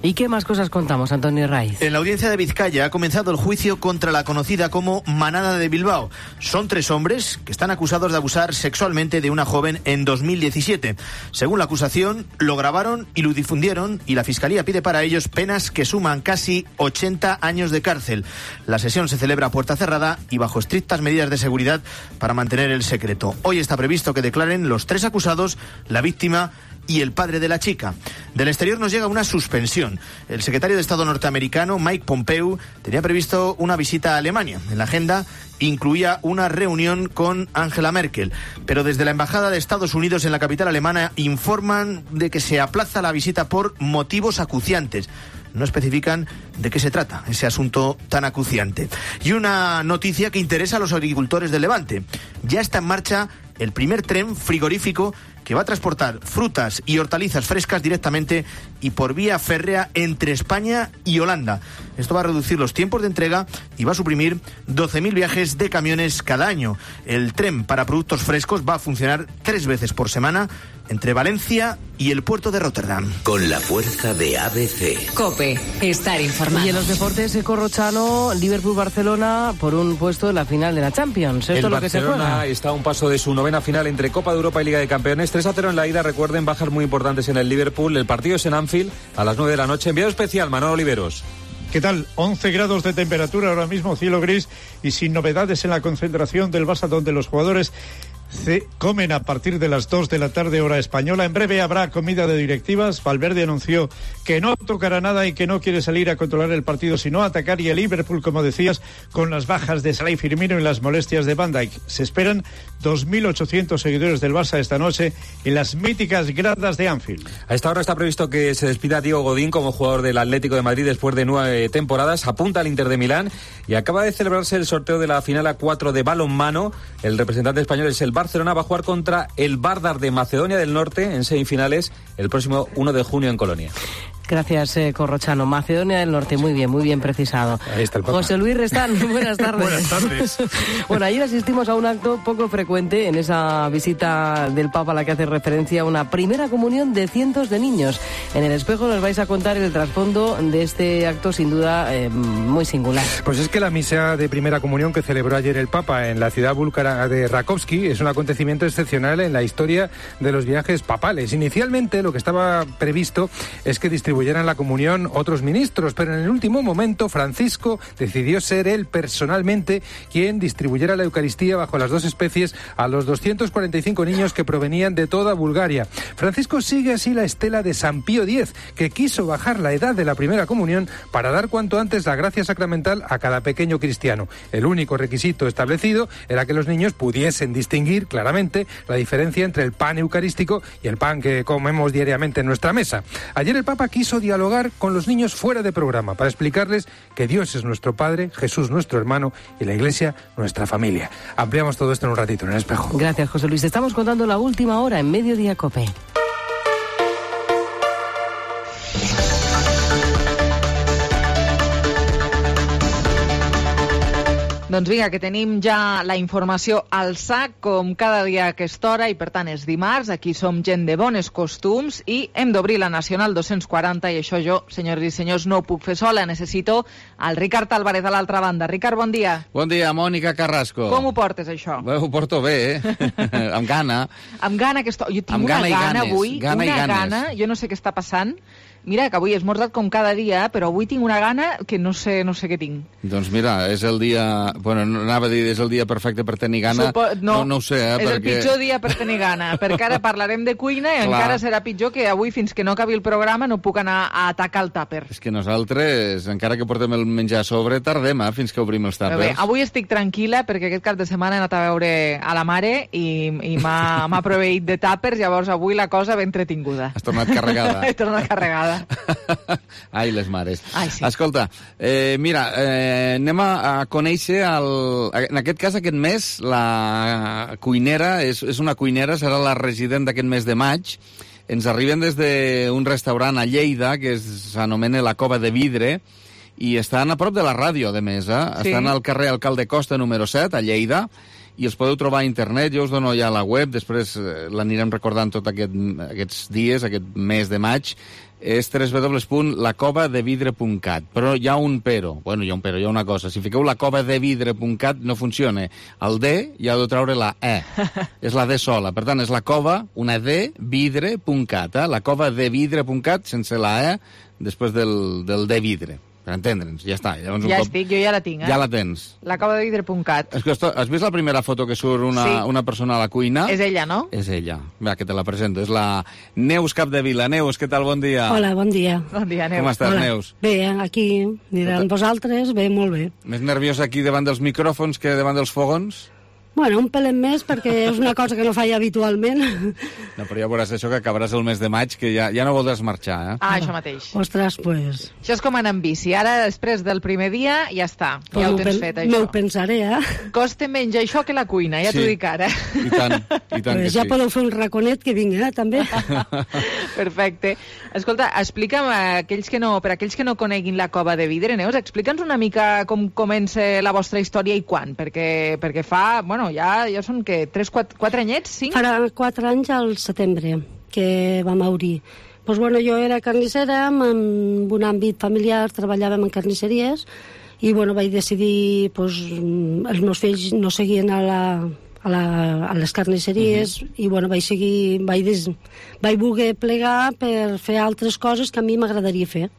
¿Y qué más cosas contamos, Antonio Raiz? En la audiencia de Vizcaya ha comenzado el juicio contra la conocida como Manada de Bilbao. Son 3 hombres que están acusados de abusar sexualmente de una joven en 2017. Según la acusación, lo grabaron y lo difundieron y la Fiscalía pide para ellos penas que suman casi 80 años de cárcel. La sesión se celebra a puerta cerrada y bajo estrictas medidas de seguridad para mantener el secreto. Hoy está previsto que declaren los 3 acusados, la víctima y el padre de la chica. Del exterior nos llega una suspensión. El secretario de Estado norteamericano, Mike Pompeo, tenía previsto una visita a Alemania. En la agenda incluía una reunión con Angela Merkel. Pero desde la Embajada de Estados Unidos en la capital alemana informan de que se aplaza la visita por motivos acuciantes. No especifican de qué se trata ese asunto tan acuciante. Y una noticia que interesa a los agricultores del Levante. Ya está en marcha el primer tren frigorífico que va a transportar frutas y hortalizas frescas directamente y por vía férrea entre España y Holanda. Esto va a reducir los tiempos de entrega y va a suprimir 12.000 viajes de camiones cada año. El tren para productos frescos va a funcionar 3 veces por semana entre Valencia y el puerto de Rotterdam. Con la fuerza de ABC. COPE, estar informado. Y en los deportes, Corrochano, Liverpool-Barcelona por un puesto en la final de la Champions. Esto es lo que se juega. El Barcelona está a un paso de su 9ª final entre Copa de Europa y Liga de Campeones. 3-0 en la ida, recuerden, bajas muy importantes en el Liverpool. El partido es en Anfield a las 9 de la noche. Enviado especial, Manolo Oliveros. ¿Qué tal? 11 grados de temperatura ahora mismo, cielo gris y sin novedades en la concentración del Barça, donde los jugadores comen a partir de las 2 de la tarde hora española. En breve habrá comida de directivas. Valverde anunció que no tocará nada y que no quiere salir a controlar el partido, sino atacar. Y el Liverpool, como decías, con las bajas de Salah y Firmino y las molestias de Van Dijk. Se esperan 2.800 seguidores del Barça esta noche en las míticas gradas de Anfield. A esta hora está previsto que se despida Diego Godín como jugador del Atlético de Madrid después de 9 temporadas. Apunta al Inter de Milán y acaba de celebrarse el sorteo de la final A4 de balonmano. El representante español es el Barcelona, va a jugar contra el Vardar de Macedonia del Norte en semifinales el próximo 1 de junio en Colonia. Gracias, Corrochano. Macedonia del Norte, muy bien precisado. Ahí está el Papa. José Luis Restán, buenas tardes. Buenas tardes. Bueno, ayer asistimos a un acto poco frecuente en esa visita del Papa a la que hace referencia a una primera comunión de cientos de niños. En El Espejo nos vais a contar el trasfondo de este acto, sin duda, muy singular. Pues es que la misa de primera comunión que celebró ayer el Papa en la ciudad búlgara de Rakovsky es un acontecimiento excepcional en la historia de los viajes papales. Inicialmente lo que estaba previsto es que distribuyeran la comunión otros ministros, pero en el último momento Francisco decidió ser él personalmente quien distribuyera la Eucaristía bajo las dos especies a los 245 niños que provenían de toda Bulgaria. Francisco sigue así la estela de San Pío X, que quiso bajar la edad de la primera comunión para dar cuanto antes la gracia sacramental a cada pequeño cristiano. El único requisito establecido era que los niños pudiesen distinguir claramente la diferencia entre el pan eucarístico y el pan que comemos diariamente en nuestra mesa. Ayer el Papa quiso dialogar con los niños fuera de programa para explicarles que Dios es nuestro Padre, Jesús nuestro hermano y la Iglesia nuestra familia. Ampliamos todo esto en un ratito en El Espejo. Gracias, José Luis. Estamos contando la última hora en Mediodía COPE. Doncs vinga, que tenim ja la informació al sac, com cada dia a aquesta hora, i per tant és dimarts, aquí som gent de bones costums i hem d'obrir la Nacional 240 i això jo, senyores i senyors, no ho puc fer sola, necessito el Ricard Álvarez a l'altra banda. Ricard, bon dia. Bon dia, Mònica Carrasco. Com ho portes, això? Bé, ho porto bé, amb gana. Amb gana, jo tinc amb una gana ganes. avui, gana, jo no sé què està passant. Mira, que avui he esmorzat com cada dia, però avui tinc una gana que no sé què tinc. Doncs mira, és el dia... Bueno, anava a dir, és el dia perfecte per tenir gana. No ho sé, és el pitjor dia per tenir gana, perquè ara parlarem de cuina i encara serà pitjor que avui, fins que no acabi el programa, no puc anar a atacar el tàper. És que nosaltres, encara que portem el menjar a sobre, tardem fins que obrim els tàpers. Bé, avui estic tranquil·la perquè aquest cap de setmana he anat a veure a la mare i m'ha proveït de tàpers, llavors avui la cosa ben entretinguda. Has tornat carregada. He tornat carregada. Ai, les mares. Ai, sí. Escolta, mira, anem a conèixer, en aquest cas, aquest mes, la cuinera, és una cuinera, serà la resident d'aquest mes de maig. Ens arriben des d'un restaurant a Lleida, que s'anomena La Cova de Vidre, i estan a prop de la ràdio, de més, eh? Sí. Estan al carrer Alcalde Costa, número 7, a Lleida, i els podeu trobar a internet. Jo us dono ja la web, després l'anirem recordant tots aquests dies, aquest mes de maig. És www.lacovadevidre.cat. Però hi ha un però. Bueno, hi ha una cosa. Si fiqueu lacovadevidre.cat no funciona. El D hi ha de treure la E. És la D sola. Per tant, és la cova, una D, vidre.cat. Lacovadevidre.cat sense la E després del D vidre. Per entendre'ns, ja està. Llavors, estic, jo ja la tinc, Ja la tens. Lacovadevidre.cat. Has vist la primera foto que surt una persona a la cuina? És ella, no? És ella. Va, que te la presento. És la Neus Capdevila. Neus, què tal? Bon dia. Hola, bon dia. Bon dia, Neus. Com estàs, Hola. Neus? Bé, aquí, mirant vosaltres, bé, molt bé. Més nerviosa aquí davant dels micròfons que davant dels fogons? Bueno, un pelet més, perquè és una cosa que no faig habitualment. No, però ja veuràs això, que acabaràs el mes de maig, que ja no voldràs marxar, eh? Ah, això mateix. Ostres, pues... Això és com anar en bici. Ara, després del primer dia, ja està. Ja ho tens fet, això. M'ho pensaré, Costa menys això que la cuina, ja t'ho dic ara. I tant pues que ja sí. podeu fer un raconet que vinc, també. Perfecte. Escolta, explica'm, per aquells que no coneguin la Cova de Vidre, Neus, explica'ns una mica com comença la vostra història i quan, perquè fa, bueno, ja són que 4 anyets, 5? Farà 4 anys al setembre que vam obrir. Pues bueno, jo era carnissera, en un àmbit familiar, treballàvem en carnisseries, i bueno, vaig decidir, pues, els meus fills no seguien a a les carnisseries, i bueno, vaig voler plegar per fer altres coses que a mi m'agradaria fer.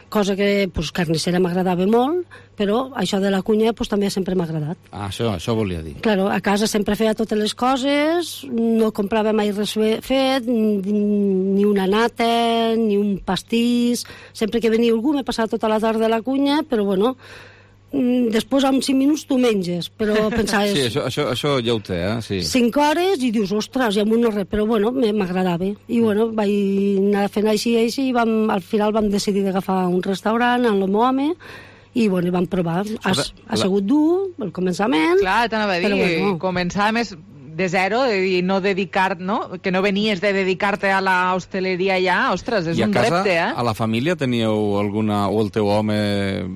Cosa que, pues, carnissera m'agradava molt, però això de la cuina, pues, també sempre m'ha agradat. Això volia dir. Claro, a casa sempre feia totes les coses, no comprava mai res fet, ni una nata, ni un pastís. Sempre que venia algú m'he passat tota la tarda a la cuina, però bueno, després en 5 minuts tu menges, però pensaves... Sí, això ja ho té, sí. 5 hores i dius, ostres, ja m'ho no res, però bueno, m'agradava. I bueno, vaig anar fent així, i al final vam decidir d'agafar un restaurant amb el meu home, i bueno, vam provar. Ha sigut dur, al començament. Clar, t'anava a dir, bueno. Començar més de zero, i no dedicar, no? Que no venies de dedicar-te a la hostaleria ja, ostres, és un repte, I a casa, a la família, teníeu alguna, o el teu home,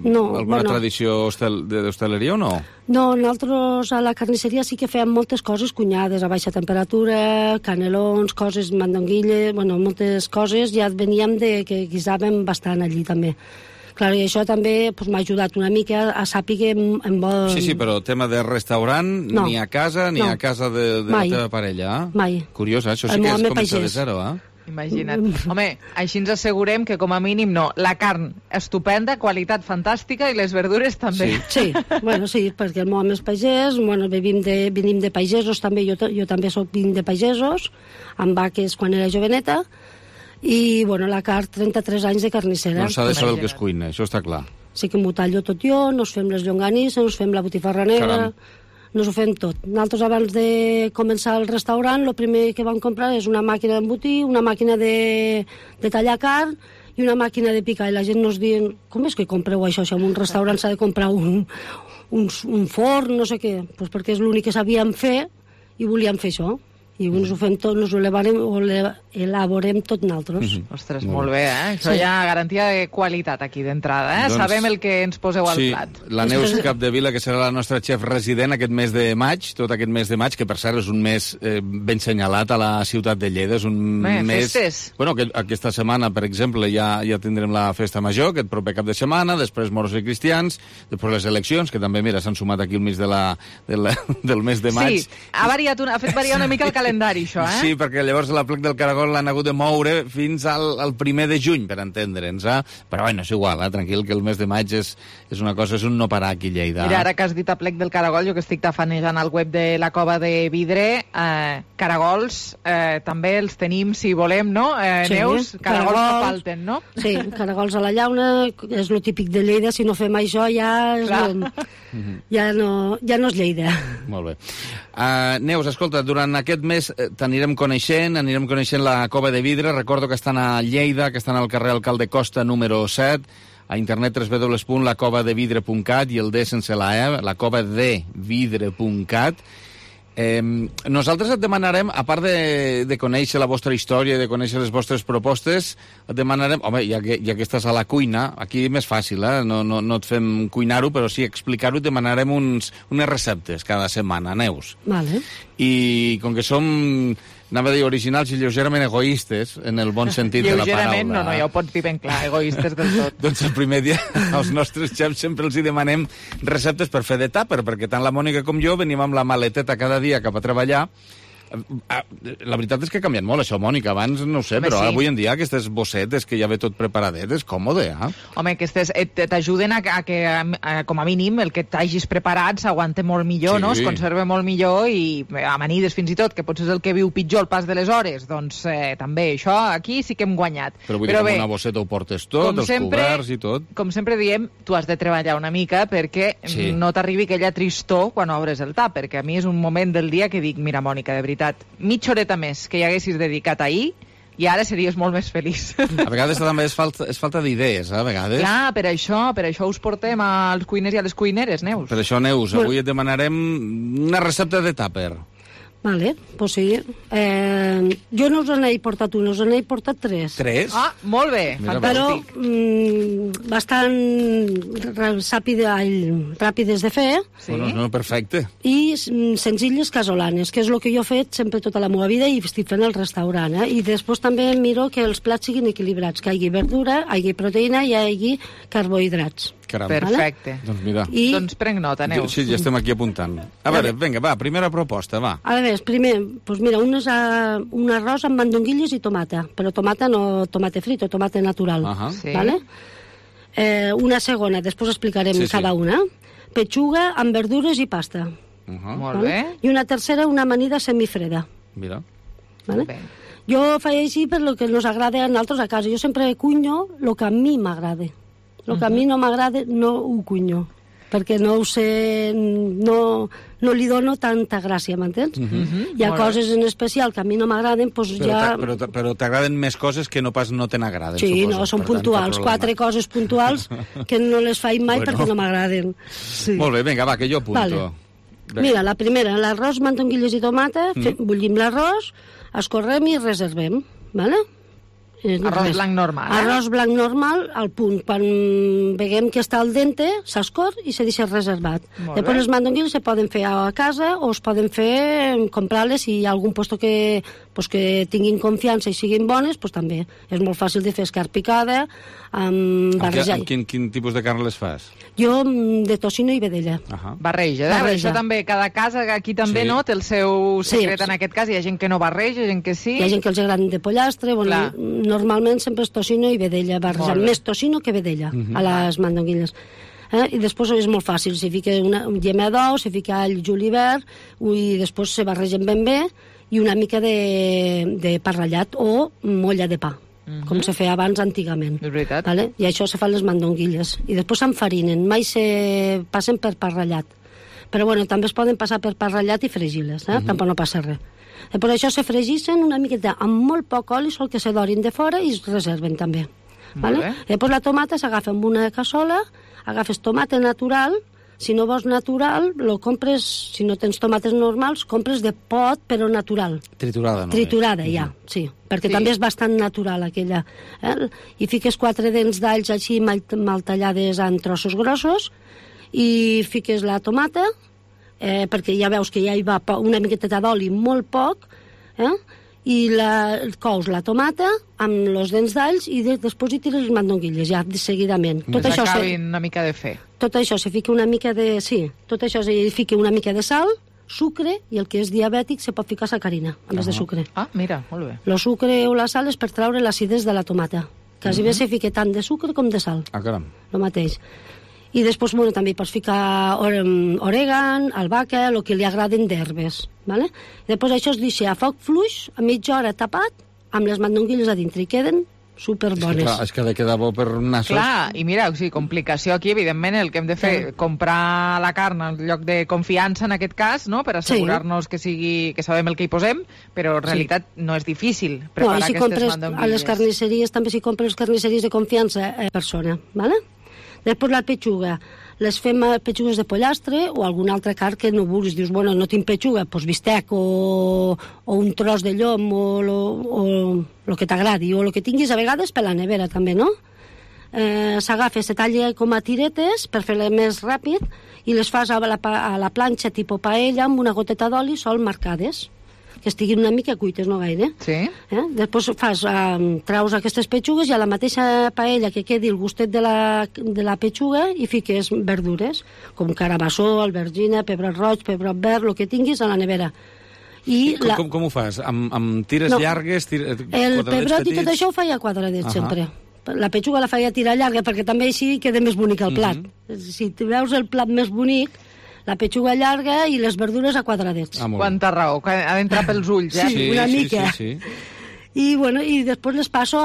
alguna tradició d'hostaleria o no? No, nosaltres a la carnisseria sí que fèiem moltes coses cunyades, a baixa temperatura, canelons, coses, mandonguilles, bueno, moltes coses, ja veníem de que guisàvem bastant allí també. Clar, i això també m'ha ajudat una mica a saber en vol... Sí, però tema de restaurant, no. Ni a casa ni a casa de la teva parella. Mai. Curiós, això sí que és començar de zero, Imagina't. Home, així ens assegurem que com a mínim no. La carn estupenda, qualitat fantàstica, i les verdures també. Sí, bueno, sí, perquè el meu home és pagès, bueno, venim de pagesos també, jo també vinc de pagesos, amb vaques quan era joveneta, i, bueno, la carn, 33 anys de carnissera. No s'ha de saber el que es cuina, això està clar. Sí que m'ho tallo tot jo, nos fem les llonganisses, nos fem la botifarra negra, nos ho fem tot. Nosaltres, abans de començar el restaurant, el primer que vam comprar és una màquina d'embotir, una màquina de tallar carn i una màquina de picar. I la gent nos diuen, com és que compreu això? Si en un restaurant s'ha de comprar un forn, no sé què. Pues perquè és l'únic que sabíem fer i volíem fer això. I ens ho fem tot, ens ho elaborem tot nosaltres. Ostres, molt bé, Això hi ha garantia de qualitat aquí d'entrada, Doncs, sabem el que ens poseu al plat. La Neus Capdevila, que serà la nostra xef resident aquest mes de maig, tot aquest mes de maig, que per cert és un mes ben senyalat a la ciutat de Lleida, és un mes... Festes. Bueno, aquesta setmana, per exemple, ja tindrem la festa major, aquest proper cap de setmana, després moros i cristians, després les eleccions, que també, mira, s'han sumat aquí al mig del mes de maig. Sí, ha fet variar una mica el calendari, això, Sí, perquè llavors la plec del Caragol l'han hagut de moure fins al 1 de juny, per entendre'ns, Però bueno, és igual, tranquil, que el mes de maig és una cosa, és un no parar aquí a Lleida. Mira, ara que has dit a plec del Caragol, jo que estic tafanejant al web de la Cova de Vidre, caragols també els tenim, si volem, no? Sí, Neus, caragols no falten, no? Sí, caragols a la llauna, és lo típic de Lleida, si no fem això ja ja no és Lleida. Molt bé. Neus, escolta, durant aquest mes t'anirem coneixent la Cova de Vidre. Recordo que estan a Lleida, que estan al carrer Alcalde Costa número 7, a internet www.lacovadevidre.cat i el D sense la E, lacovadevidre.cat. Nosaltres et demanarem, a part de conèixer la vostra història, de conèixer les vostres propostes, et demanarem, home, ja que estàs a la cuina, aquí més fàcil, no et fem cuinar-ho, però sí explicar-ho, et demanarem unes receptes cada setmana, Neus. Vale. I com que som, anava a dir, originals i lleugerament egoistes, en el bon sentit de la paraula. Lleugerament, no, ja ho pots dir ben clar, egoistes del tot. Doncs el primer dia als nostres xefs sempre els hi demanem receptes per fer de tàper, perquè tant la Mònica com jo venim amb la maleteta cada dia cap a treballar. La veritat és que ha canviat molt això, Mònica. Abans no ho sé, però avui en dia aquestes bossetes que ja ve tot preparadet és còmode, Home, aquestes t'ajuden a que, com a mínim, el que t'hagis preparat s'aguante molt millor, no? Es conserva molt millor i amanides fins i tot, que potser és el que viu pitjor el pas de les hores. Doncs també, això aquí sí que hem guanyat. Però vull dir que amb una bosseta ho portes tot, els coberts i tot. Com sempre diem, tu has de treballar una mica perquè no t'arribi aquella tristor quan obres el tap, perquè a mi és un moment del dia que dic, mira, Mònica, de veritat, mitja horeta més que hi haguessis dedicat ahir i ara series molt més feliç. A vegades també és falta d'idees, a vegades. Clar, per això us portem als cuiners i a les cuineres, Neus. Per això, Neus, avui et demanarem una recepta de tàper. Vale, pues sí. Jo no us n'he portat una, us n'he portat 3. 3? Ah, molt bé, fantàstic. Però bastant ràpides de fer. Sí. No, perfecte. I senzilles casolanes, que és el que jo he fet sempre tota la meva vida i estic fent al restaurant. I després també miro que els plats siguin equilibrats, que hi hagi verdura, hi hagi proteïna i hi hagi carbohidrats. Caram. Perfecte. Doncs mira. Doncs prenc nota, Neus. Sí, ja estem aquí apuntant. A veure, vinga, va, primera proposta, va. A veure, primer, doncs mira, un arròs amb mandonguilles i tomata, però tomata no tomate frito, tomate natural, ¿vale? Una segona, després explicarem cada una. Petxuga amb verdures i pasta. Molt bé. I una tercera, una amanida semifreda. Mira. ¿Vale? Jo faig així per lo que nos agrada a nosaltres a casa. Jo sempre cunyo el que a mi m'agrada. El que a mi no m'agrada no ho cunyo, perquè no ho sé, no li dono tanta gràcia, m'entens? Hi ha coses en especial que a mi no m'agraden, doncs ja... Però t'agraden més coses que no pas no te n'agraden, sí, suposo. No, són puntuals, 4 coses puntuals que no les faig mai perquè no m'agraden. Sí. Molt bé, vinga, va, que jo apunto. Vale. Mira, la primera, l'arròs, mandonguilles i tomata, bullim l'arròs, escorrem i reservem, ¿vale? Arròs blanc normal. Arròs blanc normal, al punt. Quan veiem que està al dente, s'escor i se deixa reservat. Després les mandonguilles se poden fer a casa o es poden fer, comprar-les, si hi ha algun puesto que tinguin confiança i siguin bones, doncs també. És molt fàcil de fer escarn picada, amb barrejar. Amb quin tipus de carn les fas? Jo de tocino i vedella. Barreja. Això també, cada casa aquí també no té el seu secret en aquest cas. Hi ha gent que no barreja, hi ha gent que sí. Hi ha gent que els agrada de pollastre, normalment sempre és tocino i vedella, barrejant més tocino que vedella a les mandonguilles. I després és molt fàcil, se fica una llema d'ou, se fica all julivert i després se barregen ben bé i una mica de pa ratllat o molla de pa, com se feia abans antigament. És veritat. Vale? I això se fan les mandonguilles. I després s'enfarinen, mai se passen per pa ratllat. Però bueno, també es poden passar per pa ratllat i fregir-les, tampoc no passa res. Per això se fregissen una miqueta amb molt poc oli, sol que se dorin de fora i es reserven també. Vale? Després la tomata s'agafa amb una cassola, agafes tomata natural, si no vols natural, lo compres, si no tens tomates normals, compres de pot, però natural. Triturada, no? Triturada, ja, sí, perquè també és bastant natural aquella. I fiques 4 dents d'alls així mal tallades en trossos grossos i fiques la tomata, perquè ja veus que ja hi va una miqueta d'oli, molt poc, i cous la tomata amb els dents d'alls i després hi tires les mandonguilles, ja seguidament. Tot això acabin una mica de fer. Tot això se fica una mica de... Sí, tot això se fica una mica de sal, sucre, i el que és diabètic se pot ficar sacarina, a més de sucre. Ah, mira, molt bé. El sucre o la sal és per treure l'acidesa de la tomata. Quasi bé se fica tant de sucre com de sal. Ah, caram. El mateix. I després, bueno, també pots ficar orègan, albahaca, el que li agraden d'herbes, ¿vale? Després això es deixa a foc fluix, a mitja hora tapat, amb les mandonguilles a dintre, i queden superbones. És que ha de quedar bo per nassos. Clar, i mira, o sigui, complicació aquí, evidentment, el que hem de fer, comprar la carn en lloc de confiança, en aquest cas, no?, per assegurar-nos que sabem el que hi posem, però en realitat no és difícil preparar aquestes mandonguilles. A les carnisseries, també si compres carnisseries de confiança persona, ¿vale? Després la petxuga, les fem petxugues de pollastre o alguna altra carn que no vulguis. Dius, bueno, no tinc petxuga, doncs bistec o un tros de llom o el que t'agradi, o el que tinguis a vegades per la nevera també, no? S'agafa, se talla com a tiretes per fer-la més ràpid i les fas a la planxa tipus paella amb una goteta d'oli sol marcades, que estiguin una mica cuites, no gaire. Sí. Després traus aquestes petxugues i a la mateixa paella que quedi el gustet de la petxuga i fiques verdures, com carabassó, albergina, pebrot roig, pebrot verd, el que tinguis a la nevera. Com ho fas? Amb tires llargues? El pebrot i tot això ho feia a quadradets, sempre. La petxuga la feia tirar llarga perquè també així queda més bonic el plat. Si veus el plat més bonic, la petxuga llarga i les verdures a quadradets. Quanta raó, ha d'entrar pels ulls, Sí, una mica. Sí. I després les passo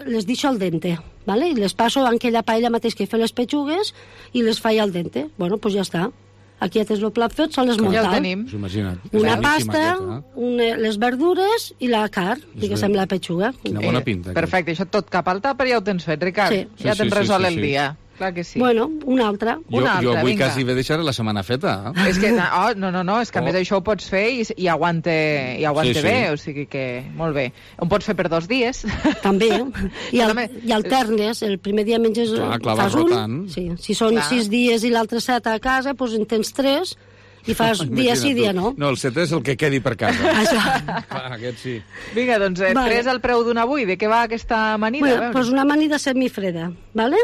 les deixo al dente, ¿vale? I les passo en aquella paella mateix que he fet les petxugues i les faig al dente. Bueno, doncs ja està. Aquí ja tens el plat fet, sol esmoltar. Ja el tenim. Una pasta, les verdures i la carn, diguéssim, la petxuga. Quina bona pinta. Perfecte, això tot cap al tàper ja ho tens fet, Ricard. Ja tens resolt el dia. Clar que sí. Bueno, una altra. Jo avui quasi ve deixar la setmana feta. És que, no, és que a més això ho pots fer i aguante bé, o sigui que molt bé. Ho pots fer per 2 dies. També, i alternes, el primer dia menges, fas un, si són 6 dies i l'altre 7 a casa, doncs en tens 3, I fas dia sí, dia no. No, el setè és el que quedi per casa. Clar, aquest sí. Vinga, doncs, 3 al preu d'un avui. De què va aquesta amanida? Bueno, doncs una amanida semifreda, ¿vale?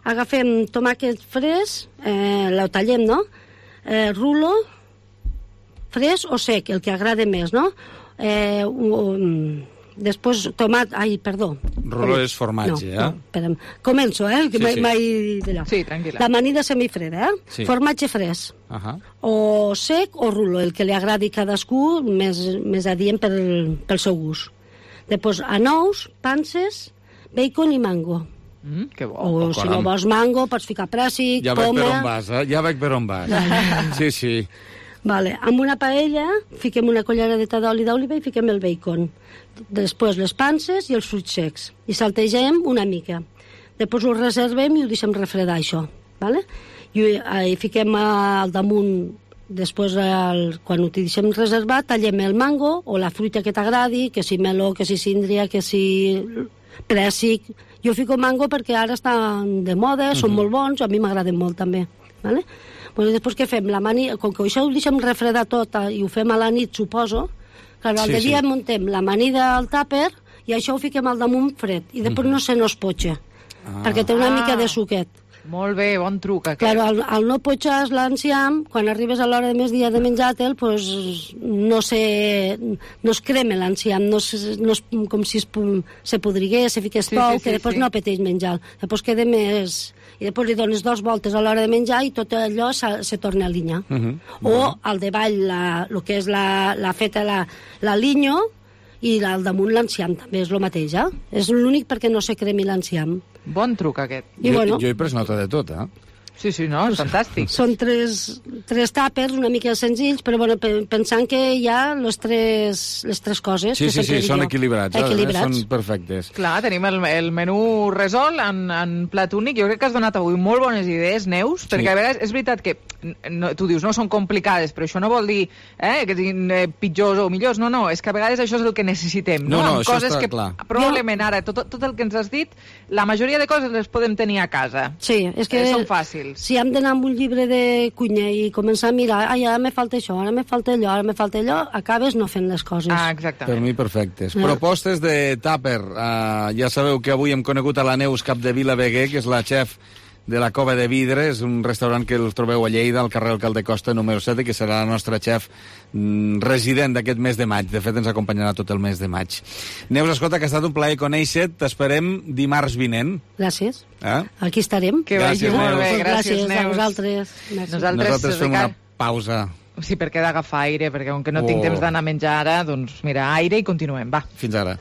Agafem tomàquet fresc, lo tallem, no? Rulo, fresc o sec, el que agrada més, no? Després, tomat... Ai, perdó. Rulo és formatge, no, espera'm. Començo, que mai d'allò. Sí, tranquil·la. L'amanida semifreda, Sí. Formatge fresc. O sec o rulo, el que li agradi cadascú, més adient pel seu gust. Després, anous, panses, bacon i mango. Que bo. O si no vols mango, pots ficar pràssic, ja poma... Ja veig per on vas. Sí, sí. Vale. Amb una paella fiquem una culleradeta d'oli d'oliva i fiquem el bacon. Després les panses i els fruits secs. I saltegem una mica. Després ho reservem i ho deixem refredar, això. Vale? I fiquem al damunt, després, quan ho deixem reservat, tallem el mango o la fruita que t'agradi, que si meló, que si síndria, que si prèssic. Jo fico mango perquè ara estan de moda, són molt bons, a mi m'agraden molt també. Vale? Bueno, després què fem? Com que això ho deixem refredar tot i ho fem a la nit, suposo, al dia muntem l'amanida al tàper i això ho fiquem al damunt fred i després no se nos potxa, perquè té una mica de suquet. Molt bé, bon truc aquest. Claro, al no potxar l'enciam, quan arribes a l'hora de més dia de menjar-te'l, pues, no es crema l'enciam, no és com si se podrigués, se fiqués tou, que després no apeteix menjar. Després queda més... I després li dones 2 voltes a l'hora de menjar i tot allò se torna a linya. O al davall, el que és la feta, la linyo, i al damunt l'enciam també és el mateix, És l'únic perquè no se cremi l'enciam. Bon truc aquest. Jo he pres nota de tot, Sí, no, és fantàstic. Són tres tàpers una mica senzills, però bueno, pensant que hi ha les tres coses. Sí, són equilibrats. Són perfectes. Clar, tenim el menú resolt en plat únic. Jo crec que has donat avui molt bones idees, Neus, perquè a vegades és veritat que tu dius, no són complicades, però això no vol dir que siguin pitjors o millors. No, és que a vegades això és el que necessitem. No, això està clar. Probablement ara, tot el que ens has dit, la majoria de coses les podem tenir a casa. Sí, és que... Són fàcils. Si hem d'anar amb un llibre de cuina i començar a mirar, ara me falta això, ara me falta allò, ara me falta allò, acabes no fent les coses. Exactament. Per mi perfectes. Propostes de tàper. Ja sabeu que avui hem conegut a la Neus Capdevila Beguer, que és la xef de la Cova de Vidre, és un restaurant que el trobeu a Lleida, al carrer Alcalde Costa número 7, que serà la nostra xef resident d'aquest mes de maig. De fet, ens acompanyarà tot el mes de maig. Neus, escolta, que ha estat un plaer conèixer-te. T'esperem dimarts vinent. Gràcies. Aquí estarem. Que vagi molt bé. Gràcies, Neus. A vosaltres. Nosaltres fem una pausa. Sí, perquè he d'agafar aire, perquè com que no tinc temps d'anar a menjar ara, doncs mira, aire i continuem, va. Fins ara.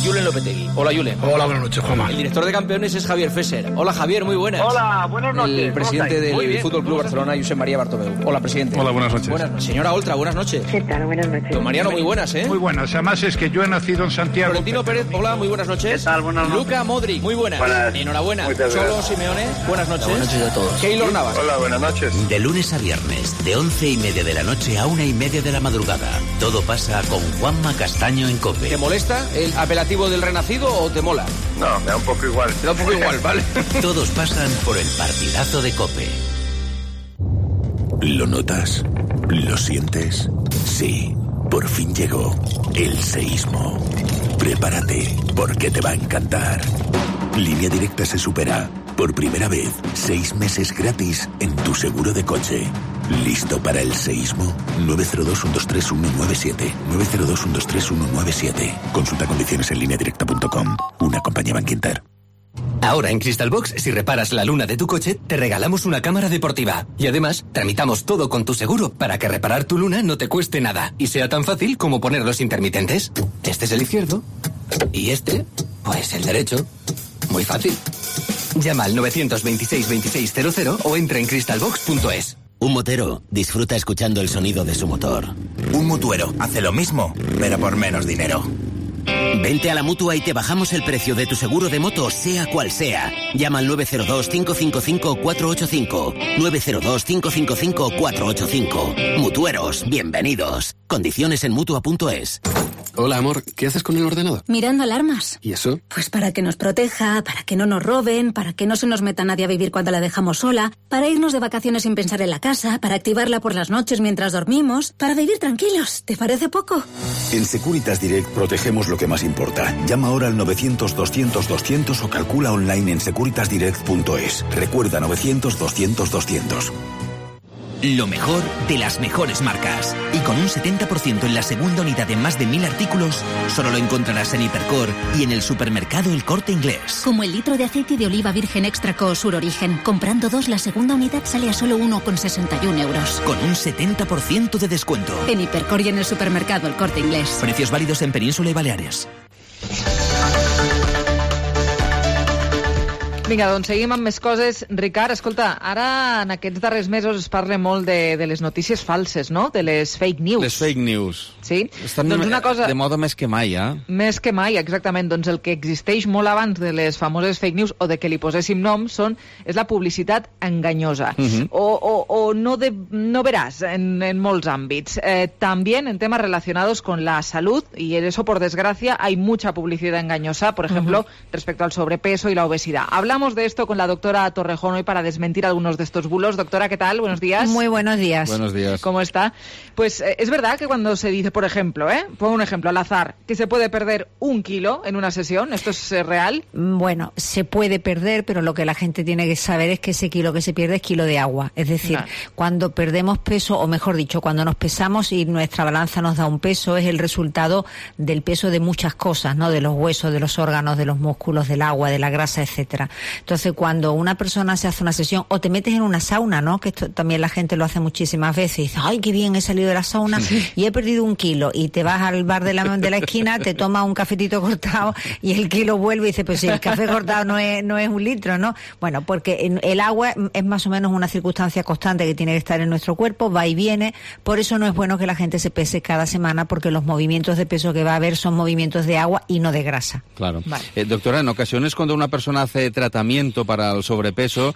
Julen Lopetegui. Hola, Julen. Hola, buenas noches, Juanma. El director de campeones es Javier Fesser. Hola, Javier, muy buenas. Hola, buenas noches. El presidente del Fútbol Club Barcelona, Josep María Bartomeu. Hola, presidente. Hola, buenas noches. Señora Oltra, buenas noches. ¿Qué tal? Buenas noches. Don Mariano, muy buenas, ¿eh? Muy buenas. Además es que yo he nacido en Santiago. Florentino Pérez, hola, muy buenas noches. ¿Qué tal? Buenas noches. Luka Modric, muy buenas. Enhorabuena. Cholo Simeone, buenas noches. Buenas noches a todos. Keylor Navas. Hola, buenas noches. De lunes a viernes, de 11:30 de la noche a 1:30 de la madrugada. Todo pasa con Juanma Castaño en COPE. ¿Te molesta el apelativo del Renacido o te mola? No, me da un poco igual. Te da un poco igual, ¿vale? Todos pasan por el partidazo de COPE. ¿Lo notas? ¿Lo sientes? Sí, por fin llegó el seísmo. Prepárate, porque te va a encantar. Línea Directa se supera. Por primera vez, 6 meses gratis en tu seguro de coche. ¿Listo para el seísmo? 902-123-197. 902-123-197. Consulta condiciones en lineadirecta.com. Una compañía Bankinter. Ahora en Crystal Box, si reparas la luna de tu coche, te regalamos una cámara deportiva. Y además, tramitamos todo con tu seguro para que reparar tu luna no te cueste nada y sea tan fácil como poner los intermitentes. Este es el izquierdo y este, pues el derecho. Muy fácil. Llama al 926-2600 o entra en crystalbox.es. Un motero disfruta escuchando el sonido de su motor. Un mutuero hace lo mismo, pero por menos dinero. Vente a la Mutua y te bajamos el precio de tu seguro de moto, sea cual sea. Llama al 902-555-485. 902-555-485. Mutueros, bienvenidos. Condiciones en Mutua.es. Hola, amor. ¿Qué haces con el ordenador? Mirando alarmas. ¿Y eso? Pues para que nos proteja, para que no nos roben, para que no se nos meta nadie a vivir cuando la dejamos sola, para irnos de vacaciones sin pensar en la casa, para activarla por las noches mientras dormimos, para vivir tranquilos. ¿Te parece poco? En Securitas Direct protegemos lo que más importa. Llama ahora al 900-200-200 o calcula online en securitasdirect.es. Recuerda 900-200-200. Lo mejor de las mejores marcas. Y con un 70% en la segunda unidad de más de 1000 artículos, solo lo encontrarás en Hipercor y en el supermercado El Corte Inglés. Como el litro de aceite de oliva virgen extra Sur Origen. Comprando 2, la segunda unidad sale a solo 1,61 euros. Con un 70% de descuento. En Hipercor y en el supermercado El Corte Inglés. Precios válidos en Península y Baleares. Vinga, doncs seguim amb més coses. Ricard, escolta, ara en aquests darrers mesos es parla molt de les notícies falses, no? De les fake news. Les fake news. Sí? Estan doncs una cosa... de moda més que mai, eh? Més que mai, exactament. Doncs el que existeix molt abans de les famoses fake news o de que li poséssim nom és la publicitat enganyosa. O no verás en molts àmbits. También en temas relacionados con la salud, y en eso, por desgracia, hay mucha publicidad engañosa, por ejemplo, respecto al sobrepeso y la obesidad. Hablamos de esto con la doctora Torrejón hoy para desmentir algunos de estos bulos. Doctora, ¿qué tal? Buenos días. Muy buenos días. Buenos días. ¿Cómo está? Pues es verdad que cuando se dice, por ejemplo, pongo un ejemplo al azar, que se puede perder 1 kilo en una sesión, ¿esto es real? Bueno, se puede perder, pero lo que la gente tiene que saber es que ese kilo que se pierde es kilo de agua. Es decir, cuando perdemos peso, o mejor dicho, cuando nos pesamos y nuestra balanza nos da un peso, es el resultado del peso de muchas cosas, ¿no? De los huesos, de los órganos, de los músculos, del agua, de la grasa, etcétera. Entonces, cuando una persona se hace una sesión, o te metes en una sauna, ¿no? Que esto también la gente lo hace muchísimas veces, y dice, ¡ay, qué bien, he salido de la sauna y he perdido 1 kilo! Y te vas al bar de la esquina, te tomas un cafetito cortado y el kilo vuelve y dice, pues si el café cortado no es 1 litro, ¿no? Bueno, porque el agua es más o menos una circunstancia constante que tiene que estar en nuestro cuerpo, va y viene, por eso no es bueno que la gente se pese cada semana, porque los movimientos de peso que va a haber son movimientos de agua y no de grasa. Claro. Vale. Doctora, en ocasiones cuando una persona hace tratamiento para el sobrepeso,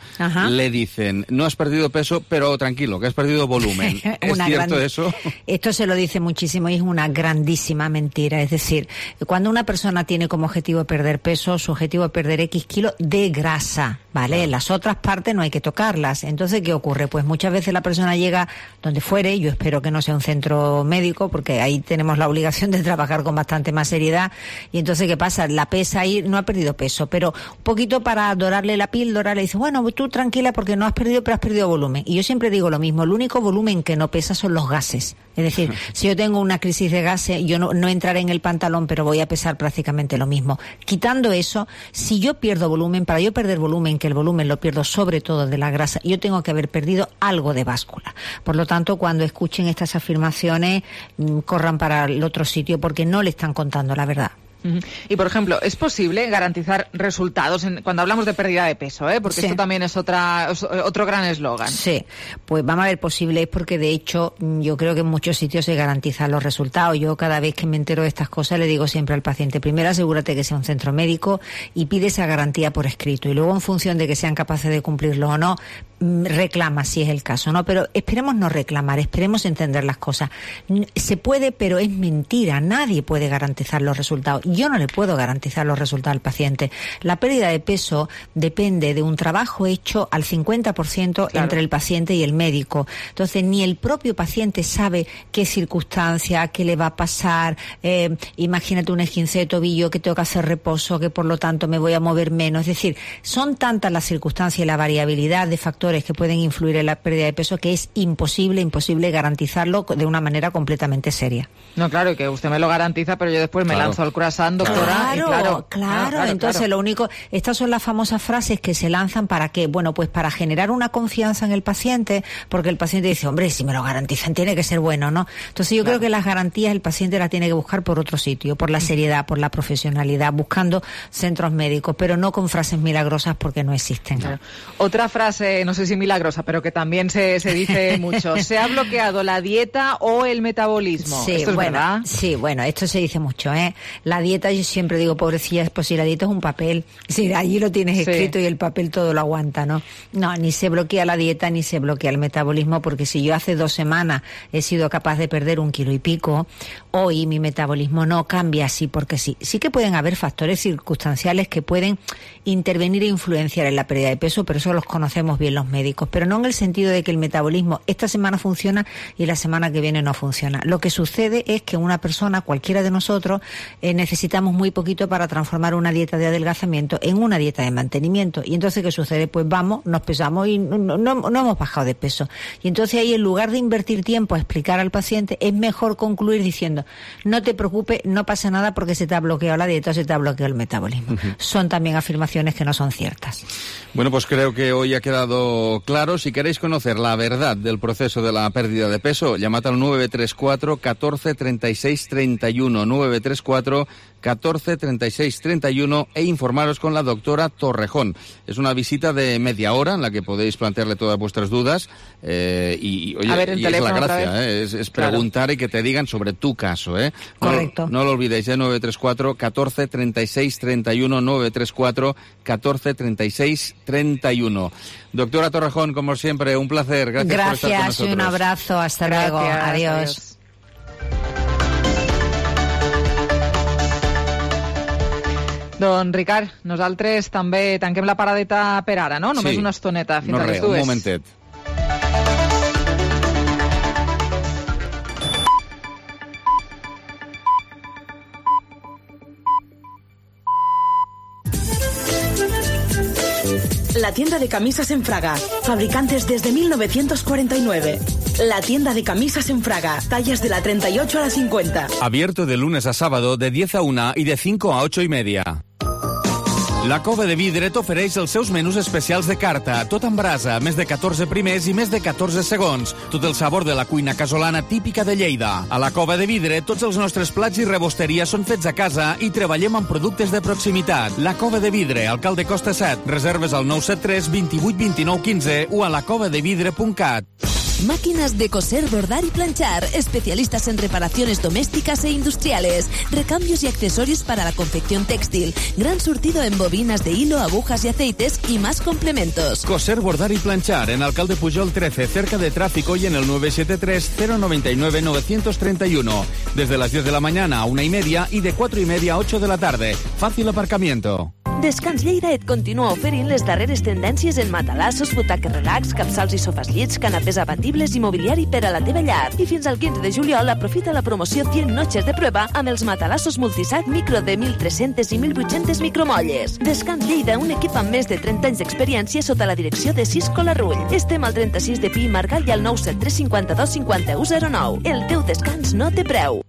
le dicen, no has perdido peso, pero tranquilo, que has perdido volumen. ¿Es cierto eso? Esto se lo dice muchísimo y es una grandísima mentira. Es decir, cuando una persona tiene como objetivo perder peso, su objetivo es perder X kilos de grasa, ¿vale? Claro. Las otras partes no hay que tocarlas. Entonces, ¿qué ocurre? Pues muchas veces la persona llega donde fuere, yo espero que no sea un centro médico, porque ahí tenemos la obligación de trabajar con bastante más seriedad, y entonces, ¿qué pasa? La pesa ahí, no ha perdido peso, pero un poquito para dorarle la píldora, le dice, bueno, tú tranquila porque no has perdido, pero has perdido volumen. Y yo siempre digo lo mismo, el único volumen que no pesa son los gases. Es decir, si yo tengo una crisis de gases, yo no entraré en el pantalón, pero voy a pesar prácticamente lo mismo. Quitando eso, si yo pierdo volumen, para yo perder volumen, que el volumen lo pierdo sobre todo de la grasa, yo tengo que haber perdido algo de báscula. Por lo tanto, cuando escuchen estas afirmaciones, corran para el otro sitio porque no le están contando la verdad. Y, por ejemplo, ¿es posible garantizar resultados cuando hablamos de pérdida de peso? Porque esto también es otro gran eslogan. Sí, pues vamos a ver, posible es porque, de hecho, yo creo que en muchos sitios se garantizan los resultados. Yo cada vez que me entero de estas cosas le digo siempre al paciente, primero asegúrate que sea un centro médico y pide esa garantía por escrito. Y luego, en función de que sean capaces de cumplirlo o no, reclama si es el caso, ¿no? Pero esperemos no reclamar, esperemos entender las cosas. Se puede, pero es mentira. Nadie puede garantizar los resultados. Yo no le puedo garantizar los resultados al paciente. La pérdida de peso depende de un trabajo hecho al 50% entre el paciente y el médico. Entonces, ni el propio paciente sabe qué circunstancia, qué le va a pasar. Imagínate un esguince de tobillo, que tengo que hacer reposo, que por lo tanto me voy a mover menos. Es decir, son tantas las circunstancias y la variabilidad de factores que pueden influir en la pérdida de peso que es imposible garantizarlo de una manera completamente seria. No, claro, que usted me lo garantiza, pero yo después me lanzo al croissant, doctora. Claro. Entonces, lo único, estas son las famosas frases que se lanzan para qué, bueno, pues para generar una confianza en el paciente, porque el paciente dice, hombre, si me lo garantizan tiene que ser bueno, ¿no? Entonces yo creo que las garantías el paciente las tiene que buscar por otro sitio, por la seriedad, por la profesionalidad, buscando centros médicos, pero no con frases milagrosas porque no existen. Claro. Otra frase, no sé sé si milagrosa, pero que también se dice mucho. ¿Se ha bloqueado la dieta o el metabolismo? Sí, ¿Esto es verdad? Sí, bueno, esto se dice mucho, ¿eh? La dieta, yo siempre digo, pobrecillas, pues si la dieta es un papel, si allí lo tienes escrito y el papel todo lo aguanta, ¿no? No, ni se bloquea la dieta ni se bloquea el metabolismo, porque si yo hace 2 semanas he sido capaz de perder 1 kilo y pico, hoy mi metabolismo no cambia así porque sí. Sí que pueden haber factores circunstanciales que pueden intervenir e influenciar en la pérdida de peso, pero eso los conocemos bien los médicos, pero no en el sentido de que el metabolismo esta semana funciona y la semana que viene no funciona. Lo que sucede es que una persona, cualquiera de nosotros, necesitamos muy poquito para transformar una dieta de adelgazamiento en una dieta de mantenimiento. Y entonces, ¿qué sucede? Pues vamos, nos pesamos y no hemos bajado de peso. Y entonces ahí, en lugar de invertir tiempo a explicar al paciente, es mejor concluir diciendo, no te preocupes, no pasa nada porque se te ha bloqueado la dieta o se te ha bloqueado el metabolismo. Son también afirmaciones que no son ciertas. Bueno, pues creo que hoy ha quedado claro. Si queréis conocer la verdad del proceso de la pérdida de peso, llamad al 934 14 36 31, 934 14 36 31 e informaros con la doctora Torrejón. Es una visita de media hora en la que podéis plantearle todas vuestras dudas y oye, y es la gracia, es preguntar y que te digan sobre tu caso. Correcto. No lo olvidéis, 934 14 36 31, 934 14 36 31. Doctora Torrejón, como siempre, un placer. Gracias por estar con nosotros. Y un abrazo. Hasta luego. Adiós. Don Ricard, nosaltres també tanquem la paradeta per ara, no? Només una estoneta fins a les 2. Un momentet. La tienda de camisas en Fraga, fabricantes desde 1949. La tienda de camisas en Fraga, tallas de la 38 a la 50. Abierto de lunes a sábado de 10 a 1 y de 5 a 8 y media. La Cova de Vidre t'ofereix els seus menús especials de carta, tot en brasa, més de 14 primers i més de 14 segons. Tot el sabor de la cuina casolana típica de Lleida. A la Cova de Vidre, tots els nostres plats i rebosteria són fets a casa i treballem amb productes de proximitat. La Cova de Vidre, alcalde Costa 7. Reserves al 973 28 29 15 o a lacovadevidre.cat. Máquinas de coser, bordar y planchar, especialistas en reparaciones domésticas e industriales, recambios y accesorios para la confección textil, gran surtido en bobinas de hilo, agujas y aceites y más complementos. Coser, bordar y planchar en Alcalde Pujol 13, cerca de tráfico y en el 973 099 931. Desde las 10 de la mañana a 1:30 y de 4:30 a 8 de la tarde. Fácil aparcamiento. Descans Lleida et continua oferint les darreres tendències en matalassos, butaques relax, capçals i sofàs llits, canapés abatibles i mobiliari per a la teva llar. I fins al 15 de juliol aprofita la promoció 100 noches de prueba amb els matalassos multisac micro de 1.300 i 1.800 micromolles. Descans Lleida, un equip amb més de 30 anys d'experiència sota la direcció de Cisco Larrull. Estem al 36 de Pi i Margall i al 973 52 51 09. El teu descans no té preu.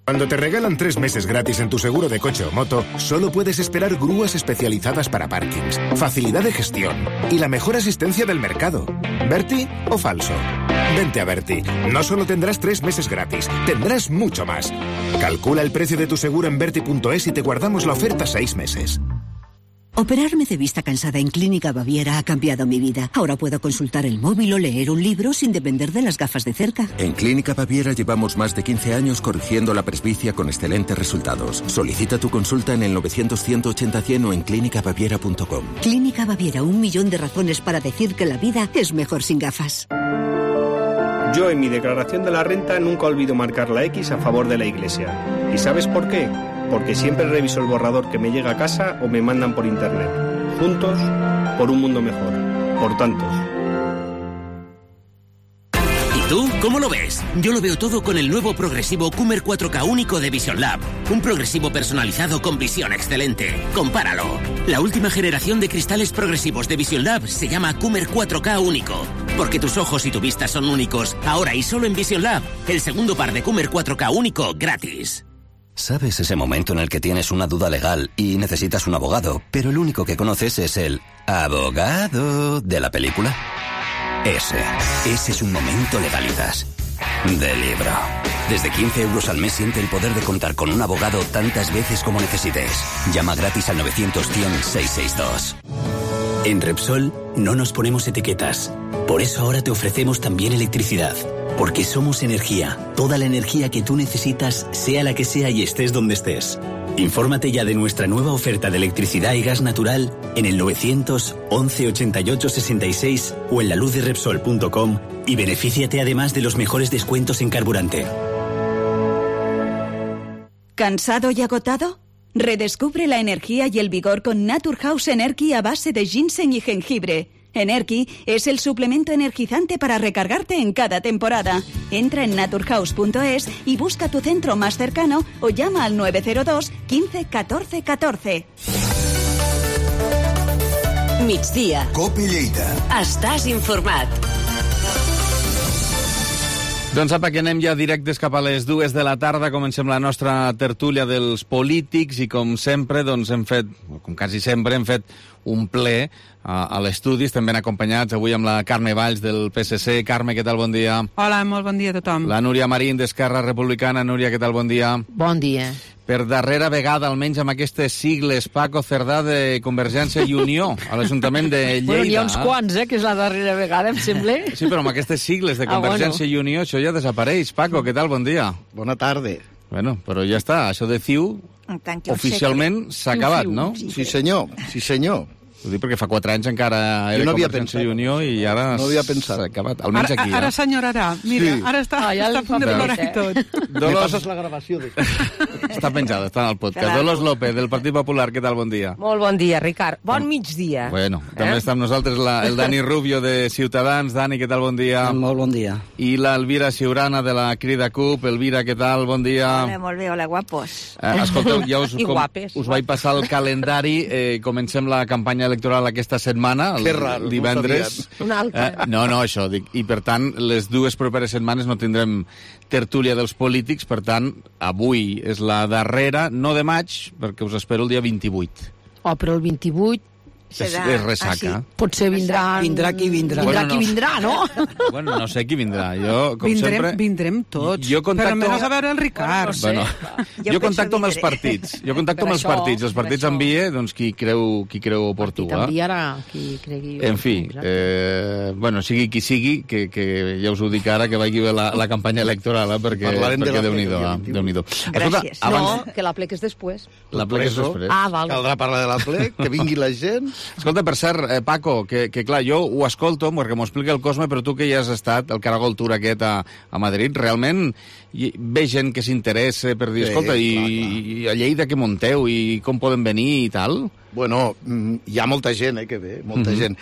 Cuando te regalan 3 meses gratis en tu seguro de coche o moto, solo puedes esperar grúas especializadas para parkings, facilidad de gestión y la mejor asistencia del mercado. ¿Berti o falso? Vente a Berti. No solo tendrás 3 meses gratis, tendrás mucho más. Calcula el precio de tu seguro en Berti.es y te guardamos la oferta 6 meses. Operarme de vista cansada en Clínica Baviera ha cambiado mi vida. Ahora puedo consultar el móvil o leer un libro sin depender de las gafas de cerca. En Clínica Baviera llevamos más de 15 años corrigiendo la presbicia con excelentes resultados. Solicita tu consulta en el 900-180-100 o en clínicabaviera.com. Clínica Baviera, 1 millón de razones para decir que la vida es mejor sin gafas. Yo en mi declaración de la renta nunca olvido marcar la X a favor de la Iglesia. ¿Y sabes por qué? Porque siempre reviso el borrador que me llega a casa o me mandan por internet. Juntos, por un mundo mejor. Por tantos. ¿Y tú cómo lo ves? Yo lo veo todo con el nuevo progresivo Coomer 4K único de Vision Lab. Un progresivo personalizado con visión excelente. Compáralo. La última generación de cristales progresivos de Vision Lab se llama Coomer 4K único. Porque tus ojos y tu vista son únicos. Ahora y solo en Vision Lab. El segundo par de Coomer 4K único gratis. ¿Sabes ese momento en el que tienes una duda legal y necesitas un abogado, pero el único que conoces es el abogado de la película? Ese es un momento legalitas de libro. Desde 15 euros al mes siente el poder de contar con un abogado tantas veces como necesites. Llama gratis al 900-100-662. En Repsol no nos ponemos etiquetas. Por eso ahora te ofrecemos también electricidad. Porque somos energía. Toda la energía que tú necesitas, sea la que sea y estés donde estés. Infórmate ya de nuestra nueva oferta de electricidad y gas natural en el 900 11 88 66 o en laluzderepsol.com y benefíciate además de los mejores descuentos en carburante. ¿Cansado y agotado? Redescubre la energía y el vigor con Naturhaus Energy a base de ginseng y jengibre. Energy es el suplemento energizante para recargarte en cada temporada. Entra en naturhaus.es y busca tu centro más cercano o llama al 902 15 14 14. Migdia. COPE Lleida. Estàs informat. Doncs apa, que anem ja directes cap a les 2 de la tarda. Comencem la nostra tertúlia dels polítics i, com sempre, doncs hem fet, com quasi sempre, hem fet un ple a l'estudi. Estem ben acompanyats avui amb la Carme Valls del PSC. Carme, què tal? Bon dia. Hola, molt bon dia a tothom. La Núria Marín d'Esquerra Republicana. Núria, què tal? Bon dia. Bon dia. Per darrera vegada, almenys amb aquestes sigles, Paco Cerdà de Convergència i Unió a l'Ajuntament de Lleida. Bueno, n'hi ha uns quants, que és la darrera vegada, em sembla. Sí, però amb aquestes sigles de Convergència i Unió això ja desapareix. Paco, què tal? Bon dia. Bona tarda. Bueno, però ja està, això de CiU oficialment s'ha acabat, no? Sí, senyor, sí, senyor. Ho dic perquè fa 4 anys encara era Convergència i Unió i ara s'ha acabat, almenys aquí. Ara s'enyorarà, mira, ara està a punt de plorar i tot. Me passes la gravació. Està penjada, està en el podcast. Dolors López, del Partit Popular, què tal? Bon dia. Molt bon dia, Ricard. Bon migdia. Bueno, també està amb nosaltres el Dani Rubio de Ciutadans. Dani, què tal? Bon dia. Molt bon dia. I l'Elvira Ciurana de la Crida CUP. Elvira, què tal? Bon dia. Hola, molt bé, hola, guapos. Escolteu, ja us vaig passar el calendari. Comencem la campanya electoral aquesta setmana, el divendres. Una altra. No, això dic. I, per tant, les 2 properes setmanes no tindrem tertúlia dels polítics, per tant, avui és la darrera, no de maig, perquè us espero el dia 28. Oh, però el 28... És ressaca. Potser vindrà qui vindrà. Vindrà qui vindrà, no? Bueno, no sé qui vindrà. Jo, com sempre... Vindrem tots. Però menys a veure el Ricard. Bueno, jo contacto amb els partits. Els partits envia qui creu oportú. El partit enviarà qui cregui. En fi, bueno, sigui qui sigui, que ja us ho dic ara, que vagi bé la campanya electoral, perquè Déu-n'hi-do. Gràcies. No, que la plec és després. La plec és després. Ah, val. Caldrà parlar de la plec, que vingui la gent... Escolta, per cert, Paco, que clar, jo ho escolto, perquè m'ho explica el Cosme, però tu que ja has estat, el Caragol Tour aquest a Madrid, realment ve gent que s'interessa per dir, escolta, i a Lleida què munteu, i com poden venir i tal? Bueno, hi ha molta gent, que ve, molta gent.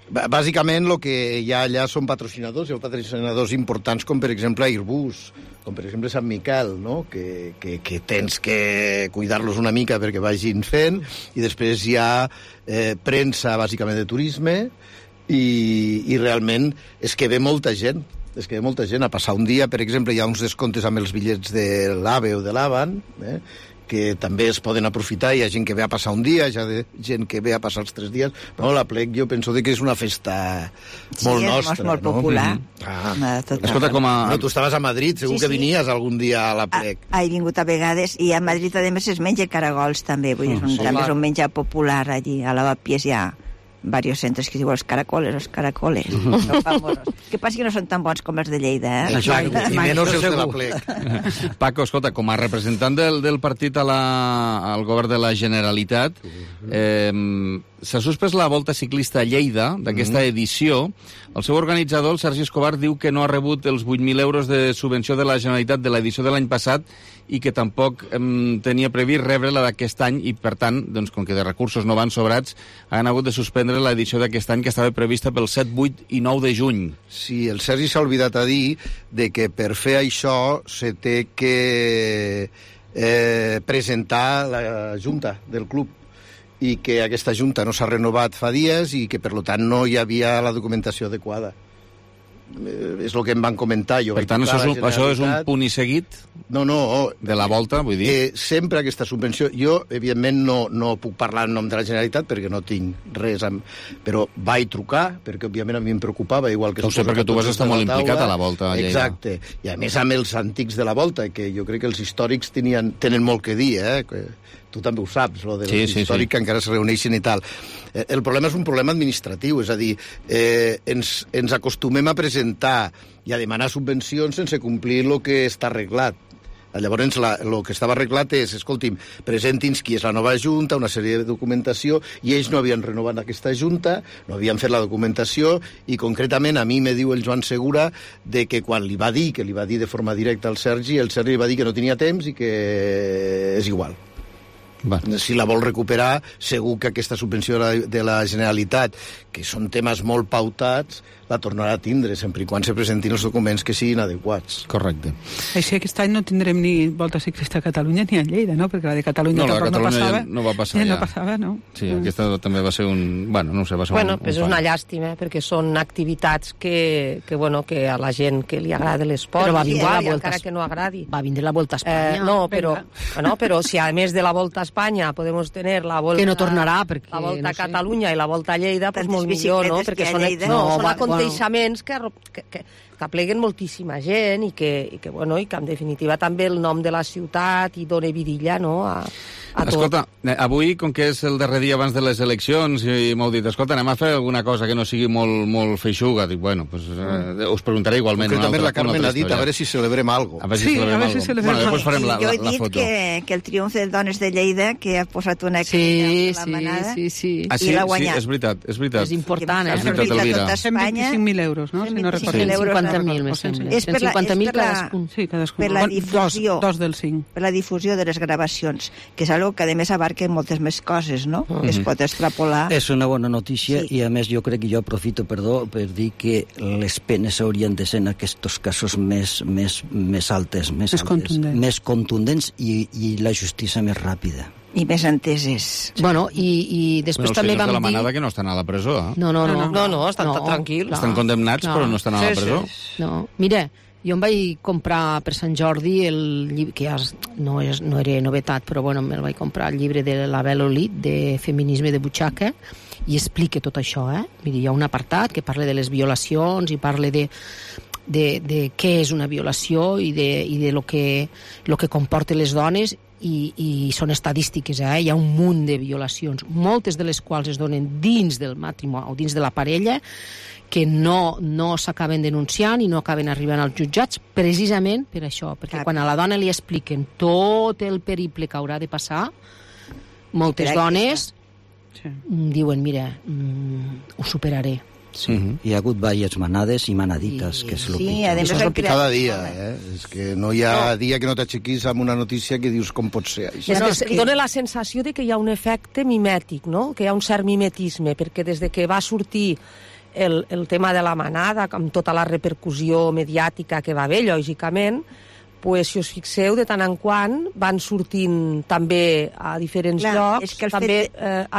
Bàsicament, el que hi ha allà són patrocinadors, hi ha patrocinadors importants com, per exemple, Airbus, com, per exemple, Sant Miquel, no? que tens que cuidar-los una mica perquè vagin fent, i després hi ha premsa, bàsicament, de turisme, i realment és que ve molta gent. És que ve molta gent a passar un dia. Per exemple, hi ha uns descomptes amb els bitllets de l'AVE o de l'Avan, que també es poden aprofitar. Hi ha gent que ve a passar un dia, hi ha gent que ve a passar els 3 dies. Però la plec jo penso que és una festa molt nostra. Sí, molt popular. Escolta, No, tu estaves a Madrid, segur que venies algun dia a la plec. He vingut a vegades, i a Madrid, a més, es menja caragols, també. Vull dir, també és un menjar popular allí. A Lavapiés hi ha varios centres que es diuen els caracoles. Són famosos. Que passa que no són tan bons com els de Lleida, I menys els de la plec. Paco, escolta, com a representant del partit al govern de la Generalitat, s'ha suspès la Volta Ciclista a Lleida d'aquesta edició. El seu organitzador, el Sergi Escobar, diu que no ha rebut els 8.000 euros de subvenció de la Generalitat de l'edició de l'any passat i que tampoc tenia previst rebre la d'aquest any i, per tant, doncs, com que de recursos no van sobrats, han hagut de suspendre l'edició d'aquest any que estava prevista pel 7, 8 i 9 de juny. Sí, el Sergi s'ha oblidat a dir de que per fer això se té que presentar la junta del club i que aquesta junta no s'ha renovat fa dies i que, per tant, no hi havia la documentació adequada. és el que em van comentar. Jo per tant, això és un punt i seguit de la volta, vull dir? Sempre aquesta subvenció... Jo, evidentment, no puc parlar en nom de la Generalitat perquè no tinc res, però vaig trucar, perquè, òbviament, a mi em preocupava, igual que... No sé, perquè tu vas estar molt implicat a la volta a Lleida. Exacte. I, a més, amb els antics de la volta, que jo crec que els històrics tenen molt que dir, tu també ho saps, lo dels històrics que encara es reuneixen i tal. El problema és un problema administratiu, és a dir, ens acostumem a presentar i a demanar subvencions sense complir el que està arreglat. Llavors, el que estava arreglat és, escolti'm, presenti'ns qui és la nova junta, una sèrie de documentació, i ells no havien renovat aquesta junta, no havien fet la documentació, i concretament a mi me diu el Joan Segura de que quan li va dir, que li va dir de forma directa al Sergi, el Sergi li va dir que no tenia temps i que és igual. Si la vol recuperar, segur que aquesta subvenció de la Generalitat, que són temes molt pautats, la tornarà a tindre, sempre i quan se presentin els documents que siguin adequats. Correcte. Així aquest any no tindrem ni volta ciclista a Catalunya ni a Lleida, no? Perquè la de Catalunya tampoc no passava. No va passar ja. No passava, no? Sí, aquesta també va ser un... Bueno, no sé, va ser un és una llàstima, perquè són activitats que a la gent que li agrada l'esport, però va vindre la volta, encara que no agradi. Va vindre la Volta a Espanya. Però si a més de la Volta a Espanya podem tenir la Volta... Que no tornarà, perquè... La Volta a Catalunya i la Volta a Lleida, doncs molt millor, no? Perquè són aconteixements que apleguen moltíssima gent i que en definitiva també el nom de la ciutat i dona vidilla, no?, a tot. Escolta, avui, com que és el darrer dia abans de les eleccions, i m'heu dit, escolta, anem a fer alguna cosa que no sigui molt feixuga. Dic, bueno, pues, us preguntaré igualment. Concretament la Carmen ha dit, a veure si celebrem algo. A veure si celebrem algo. Després farem la foto. Jo he dit que el triomf de Dones de Lleida, que ha posat una crida a la manada, i l'ha guanyat. Sí, és veritat. És important, És veritat, Elvira. 125.000 euros, no? 150.000, me sembla. 150.000 cadascun. Sí, cadascun. Per la difusió. Dos del 5. Per la difusió de les gravacions, que és algo que a més abarca moltes més coses, no? Que es pot extrapolar. És una bona notícia i a més jo crec que jo aprofito, per dir que les penes haurien de ser en aquests casos més altes, més contundents i la justícia més ràpida. I més enteses. Bueno, i després també vam dir... Els de la manada que no estan a la presó, eh? No, estan tranquils. Estan condemnats, però no estan a la presó. No, mira, jo em vaig comprar per Sant Jordi el llibre, que ja no era novetat, però bueno, me'l vaig comprar, el llibre de la Bel Olit, de Feminisme de butxaca, i explica tot això, Mira, hi ha un apartat que parla de les violacions i parla de què és una violació i de lo que comporta les dones, i són estadístiques, hi ha un munt de violacions, moltes de les quals es donen dins del matrimoni o dins de la parella, que no s'acaben denunciant i no acaben arribant als jutjats precisament per això, perquè quan a la dona li expliquen tot el periple que haurà de passar, moltes dones diuen, mira, ho superaré. Sí. Hi ha hagut diverses manades i manadites, que és el pitjor. Cada dia, és que no hi ha dia que no t'aixequis amb una notícia que dius com pot ser això. Dóna la sensació de que hi ha un efecte mimètic, no? Que hi ha un cert mimetisme, perquè des de que va sortir el tema de la manada, amb tota la repercussió mediàtica que va haver, lògicament, pues, si us fixeu, de tant en quant van sortint també a diferents llocs, també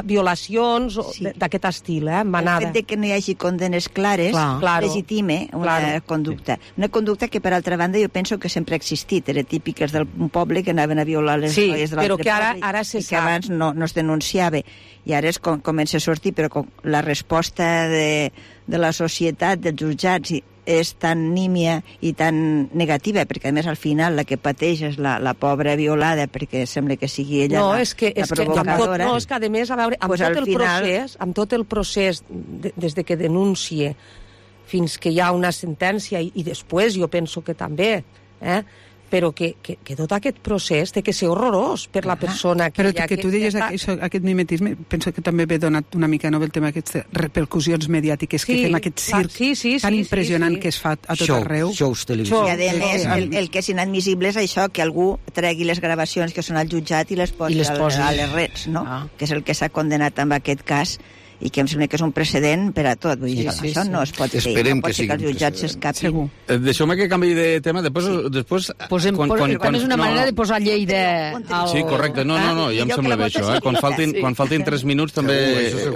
violacions d'aquest estil, manada. El fet que no hi hagi condenes clares legitime una conducta. Una conducta que, per altra banda, jo penso que sempre ha existit. Era típiques d'un poble que anaven a violar les noies de l'altre poble i que abans no es denunciava. I ara comença a sortir, però la resposta de la societat, dels jutjats, és tan nímia i tan negativa, perquè a més al final la que pateix és la pobra violada, perquè sembla que sigui ella la provocadora. No, és que a més, a veure, amb tot el procés des de que denuncie fins que hi ha una sentència i després jo penso que també, però que tot aquest procés té que ser horrorós per la persona que... Però que tu deies aquest mimetisme, penso que també ve donat una mica el tema d'aquestes repercussions mediàtiques que fem aquest circ tan impressionant que es fa a tot arreu. Shows televisius. I a més, el que és inadmissible és això, que algú tregui les gravacions que són al jutjat i les posi a les rets, no? Que és el que s'ha condenat en aquest cas, i que em sembla que és un precedent per a tot. Vull dir, això no es pot fer. Esperem no pot ser que els jutjats s'escapin. Deixeu-me que canvi de tema. Després quan és una manera de posar Lleida... Sí, correcte. No, ja em sembla bé això. Quan faltin 3 minuts també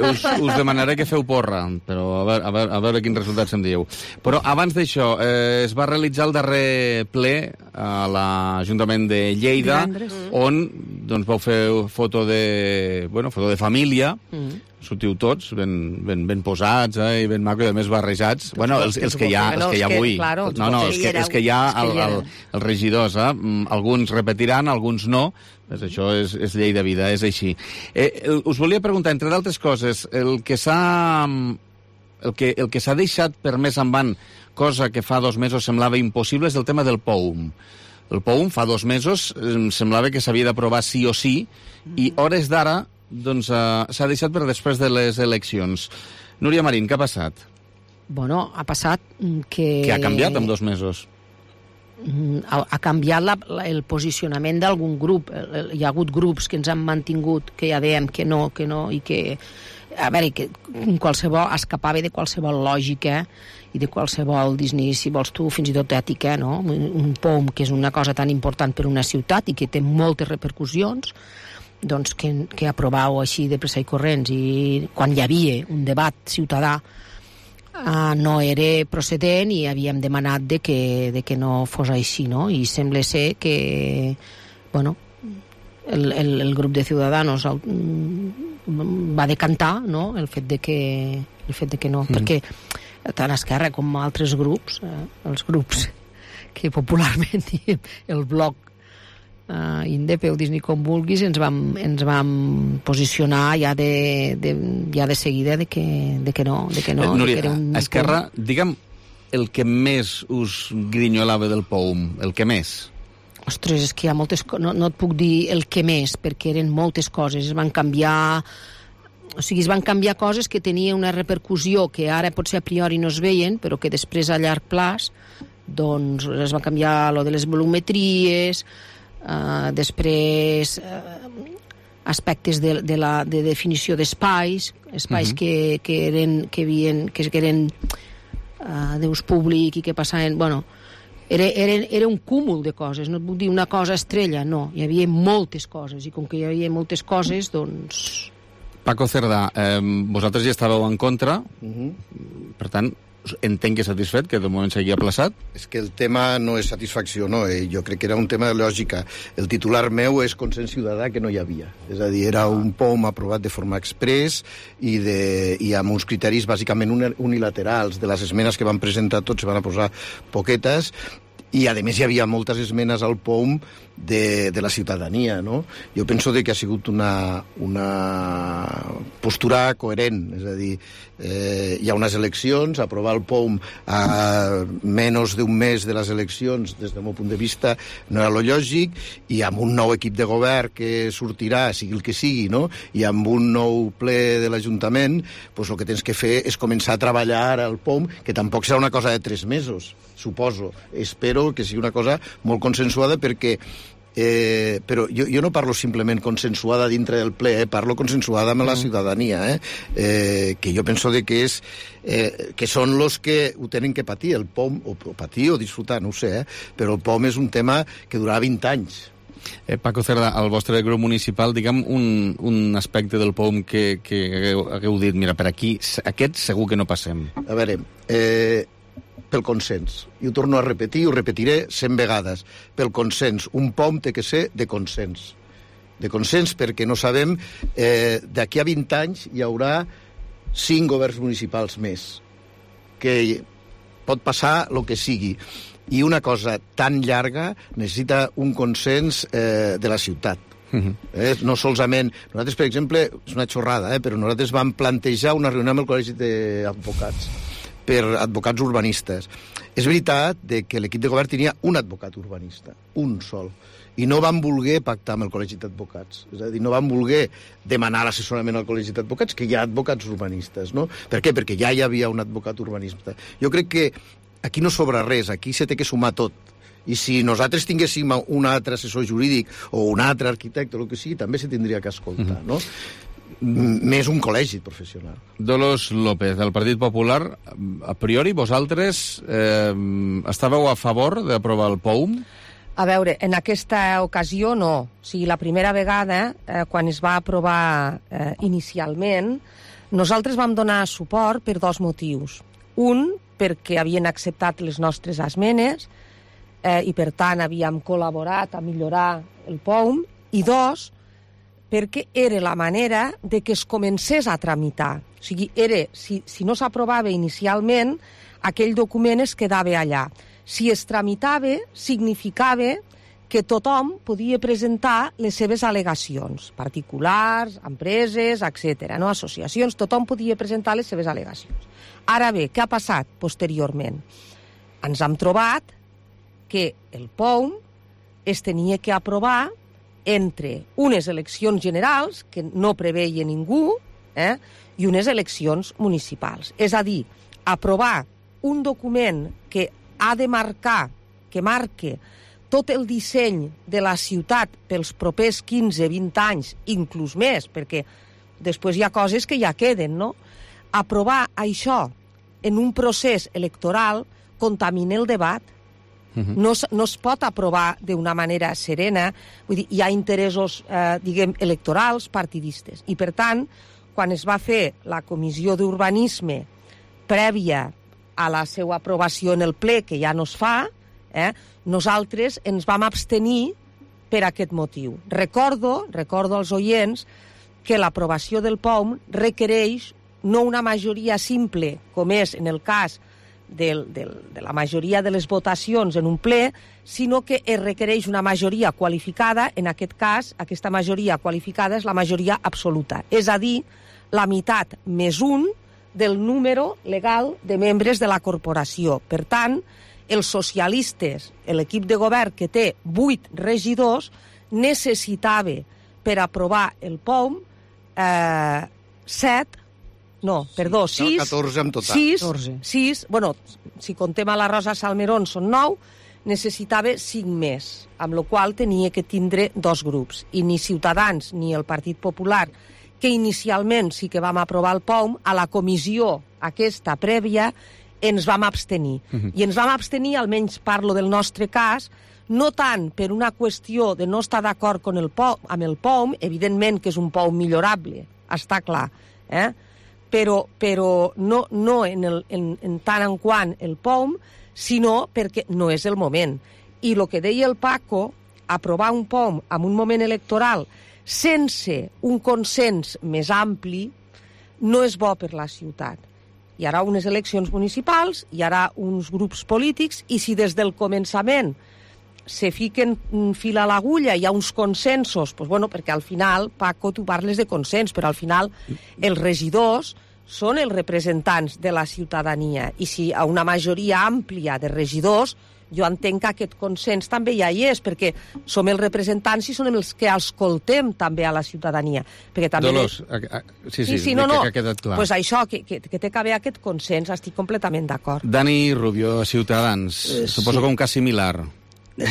us demanaré que feu porra, però a veure quins resultats em dieu. Però abans d'això, es va realitzar el darrer ple a l'Ajuntament de Lleida, on doncs, vau fer foto de família, sortiu tots ben posats i ben maco i a més barrejats. Bueno, els que hi ha avui. Els que hi ha els regidors. Alguns repetiran, alguns no. Això és llei de vida, és així. Us volia preguntar, entre d'altres coses, el que s'ha deixat per més endavant, cosa que fa 2 mesos semblava impossible, és el tema del POUM. El POUM fa 2 mesos semblava que s'havia d'aprovar sí o sí, i hores d'ara doncs s'ha deixat per després de les eleccions. Núria Marín, què ha passat? Bueno, ha passat que... Què ha canviat en 2 mesos? Ha canviat el posicionament d'algun grup. Hi ha hagut grups que ens han mantingut, que ja dèiem que no, i que... A veure, que qualsevol escapava de qualsevol lògica i de qualsevol, si vols tu, fins i tot ètica, no? Un POUM, que és una cosa tan important per una ciutat i que té moltes repercussions, doncs que aprovau així de pressa i corrents, i quan hi havia un debat ciutadà no era procedent i havíem demanat de que no fos així, no? I sembla ser que, bueno, el grup de Ciudadanos va decantar, no?, el fet de que no, perquè tant Esquerra com altres grups, els grups que popularment diem el bloc Indep, o Disney com vulguis, ens vam posicionar ja de seguida de que no. Núria, Esquerra, digue'm el que més us grinyolava del POUM, el que més? Ostres, és que hi ha moltes coses, no et puc dir el que més, perquè eren moltes coses, es van canviar coses que tenien una repercussió que ara potser a priori no es veien, però que després a llarg plaç doncs es va canviar lo de les volumetries, després aspectes de definició d'espais que eren d'ús públic i que passaven, bueno, era un cúmul de coses, no et puc dir una cosa estrella, no, hi havia moltes coses, i com que hi havia moltes coses, doncs... Paco Cerdà, vosaltres ja estàveu en contra, per tant, entenc que satisfet, que de moment s'hagi aplaçat. És que el tema no és satisfacció, no. Jo crec que era un tema de lògica. El titular meu és consens ciutadà, que no hi havia. És a dir, era un POUM aprovat de forma express i amb uns criteris bàsicament unilaterals. De les esmenes que van presentar tots se van a posar poquetes, i a més hi havia moltes esmenes al POUM de la ciutadania, no? Jo penso que ha sigut una postura coherent, és a dir, hi ha unes eleccions, aprovar el POUM a menys d'un mes de les eleccions, des del meu punt de vista, no era lo lògic, i amb un nou equip de govern que sortirà, sigui el que sigui, no?, i amb un nou ple de l'Ajuntament, doncs el que tens que fer és començar a treballar al POUM, que tampoc serà una cosa de 3 mesos, suposo. Espero que sigui una cosa molt consensuada, perquè però jo no parlo simplement consensuada dintre del ple, parlo consensuada amb la ciutadania, que jo penso que són els que ho tenen que patir, el POUM, o patir o disfrutar, no ho sé, però el POUM és un tema que durarà 20 anys. Paco Cerdà, al vostre grup municipal, digue'm un aspecte del POUM que hagueu dit, mira, per aquí, aquest segur que no passem. A veure, pel consens. I ho torno a repetir, ho repetiré 100 vegades. Pel consens. Un POUM té que ser de consens. De consens perquè no sabem... d'aquí a 20 anys hi haurà 5 governs municipals més. Que pot passar el que sigui. I una cosa tan llarga necessita un consens de la ciutat. No solament... Nosaltres, per exemple, és una xorrada, però nosaltres vam plantejar una reunió amb el Col·legi d'Advocats per advocats urbanistes. És veritat que l'equip de govern tenia un advocat urbanista, un sol, i no van voler pactar amb el Col·legi d'Advocats. És a dir, no van voler demanar l'assessorament al Col·legi d'Advocats, que hi ha advocats urbanistes, no? Per què? Perquè ja hi havia un advocat urbanista. Jo crec que aquí no sobra res, aquí se té que sumar tot. I si nosaltres tinguéssim un altre assessor jurídic o un altre arquitecte o el que sigui, també se tindria que escoltar, no? més un col·legi professional. Dolors López, del Partit Popular, a priori vosaltres estàveu a favor d'aprovar el POUM? A veure, en aquesta ocasió no. O sigui, la primera vegada, quan es va aprovar inicialment, nosaltres vam donar suport per dos motius. Un, perquè havien acceptat les nostres esmenes i, per tant, havíem col·laborat a millorar el POUM. I dos, perquè era la manera de que es comencés a tramitar. O sigui, si no s'aprovava inicialment, aquell document es quedava allà. Si es tramitava, significava que tothom podia presentar les seves al·legacions, particulars, empreses, etc. No? Associacions, tothom podia presentar les seves al·legacions. Ara bé, què ha passat posteriorment? Ens hem trobat que el POUM es tenia que aprovar entre unes eleccions generals, que no preveia ningú, i unes eleccions municipals. És a dir, aprovar un document que ha de marcar, que marque tot el disseny de la ciutat pels propers 15-20 anys, inclús més, perquè després hi ha coses que ja queden, no? Aprovar això en un procés electoral contamina el debat. No es pot aprovar d'una manera serena, vull dir, hi ha interessos, electorals, partidistes. I, per tant, quan es va fer la comissió d'urbanisme prèvia a la seva aprovació en el ple, que ja no es fa, nosaltres ens vam abstenir per aquest motiu. Recordo als oients que l'aprovació del POUM requereix no una majoria simple, com és en el cas de la majoria de les votacions en un ple, sinó que es requereix una majoria qualificada. En aquest cas, aquesta majoria qualificada és la majoria absoluta, és a dir, la meitat més un del número legal de membres de la corporació. Per tant, els socialistes, l'equip de govern que té 8 regidors, necessitava per aprovar el POUM 6, 14 en total. 6, bueno, si contem a la Rosa Salmerón són 9, necessitava 5 més, amb la qual tenia que tindre 2 grups. I ni Ciutadans ni el Partit Popular, que inicialment sí que vam aprovar el POUM, a la comissió aquesta prèvia ens vam abstenir. I ens vam abstenir, almenys parlo del nostre cas, no tant per una qüestió de no estar d'acord amb el POUM, evidentment que és un POUM millorable, està clar, però no en tant en quant el POUM, sinó perquè no és el moment. I el que deia el Paco, aprovar un POUM en un moment electoral sense un consens més ampli no és bo per la ciutat. Hi haurà unes eleccions municipals, hi haurà uns grups polítics, i si des del començament se fiquen fil a l'agulla, hi ha uns consensos, doncs, bueno, perquè al final, Paco, tu parles de consens, però al final els regidors són els representants de la ciutadania, i si a una majoria àmplia de regidors, jo entenc que aquest consens també ja hi és, perquè som els representants i som els que escoltem també a la ciutadania. Dolors, sí, no, que ha quedat clar. Pues això, que té que haver aquest consens, estic completament d'acord. Dani Rubio, Ciutadans, suposo que un cas similar.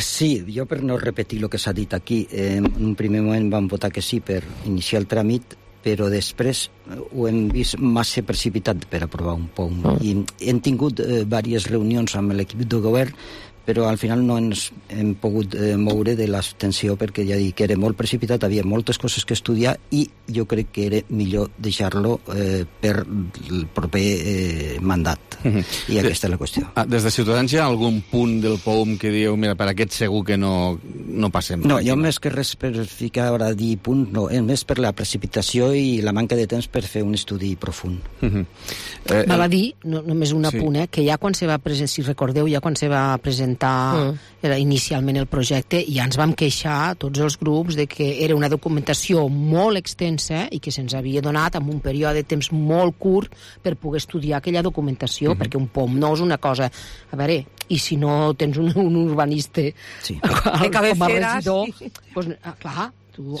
Sí, jo per no repetir el que s'ha dit aquí, en un primer moment vam votar que sí per iniciar el tràmit, però després ho hem vist massa precipitat per aprovar un POUM. I hem tingut diverses reunions amb l'equip de govern, però al final no ens hem pogut moure de l'abstenció perquè ja dic que era molt precipitat, havia moltes coses que estudiar i jo crec que era millor deixar-lo per el proper mandat. I aquesta és la qüestió. Des de Ciutadans hi ha algun punt del POUM que dieu, mira, per aquest segur que no passem? No, jo més que res per ficar ara dir punt, no, més per la precipitació i la manca de temps per fer un estudi profund. Val a dir, només un apunt, que ja quan se va presentar, si recordeu, ja quan se va presentar inicialment el projecte, ja ens vam queixar tots els grups de que era una documentació molt extensa i que se'ns havia donat en un període de temps molt curt per poder estudiar aquella documentació, perquè un POUM no és una cosa... A veure, i si no tens un urbanista com a regidor, doncs, clar,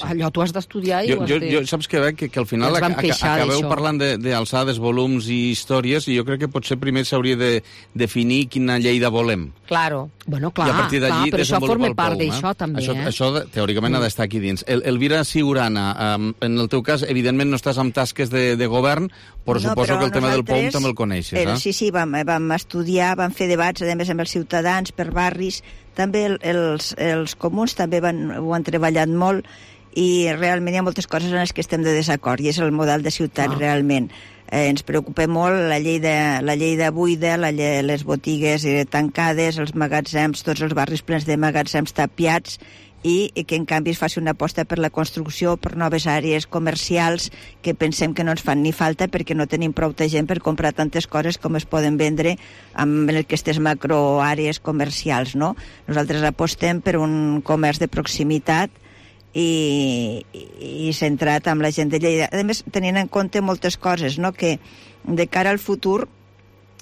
Allò tu has d'estudiar i ho has de... Jo saps que veig que al final acabeu parlant d'alçades, volums i històries, i jo crec que potser primer s'hauria de definir quina Lleida volem. Claro. Bueno, clar, I a partir d'allí però això forma part POUM, d'això també. Això teòricament ha d'estar aquí dins. Elvira Siurana, en el teu cas, evidentment no estàs amb tasques de govern, però suposo que el tema del POUM també el coneixes, Sí, vam estudiar, vam fer debats, a més, amb els ciutadans, per barris. També els comuns també ho han treballat molt, i realment hi ha moltes coses en les que estem de desacord, i és el model de ciutat realment. Ens preocupa molt la Lleida buida, les botigues tancades, els magatzems, tots els barris plens de magatzems tapiats, i que en canvi es faci una aposta per la construcció, per noves àrees comercials que pensem que no ens fan ni falta perquè no tenim prou gent per comprar tantes coses com es poden vendre en aquestes macroàrees comercials, no? Nosaltres apostem per un comerç de proximitat i centrat amb la gent de Lleida. A més, tenint en compte moltes coses, no? Que de cara al futur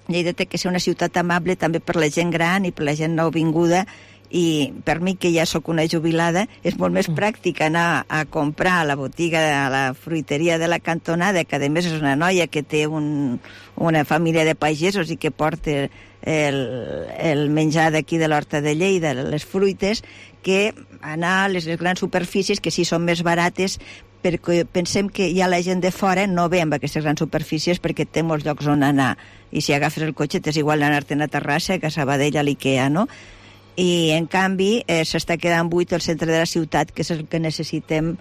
Lleida té que ser una ciutat amable també per la gent gran i per la gent nouvinguda, i per mi, que ja sóc una jubilada, és molt més pràctic anar a comprar a la botiga, a la fruiteria de la cantonada, que a més és una noia que té una família de pagesos i que porta el menjar d'aquí de l'Horta de Lleida, les fruites, que anar a les grans superfícies, que sí són més barates, perquè pensem que ja la gent de fora no ve amb aquestes grans superfícies perquè té molts llocs on anar, i si agafes el cotxe t'és igual anar-te'n a Terrassa que a Sabadell, a l'Ikea, no? I en canvi s'està quedant buit el centre de la ciutat, que és el que necessitem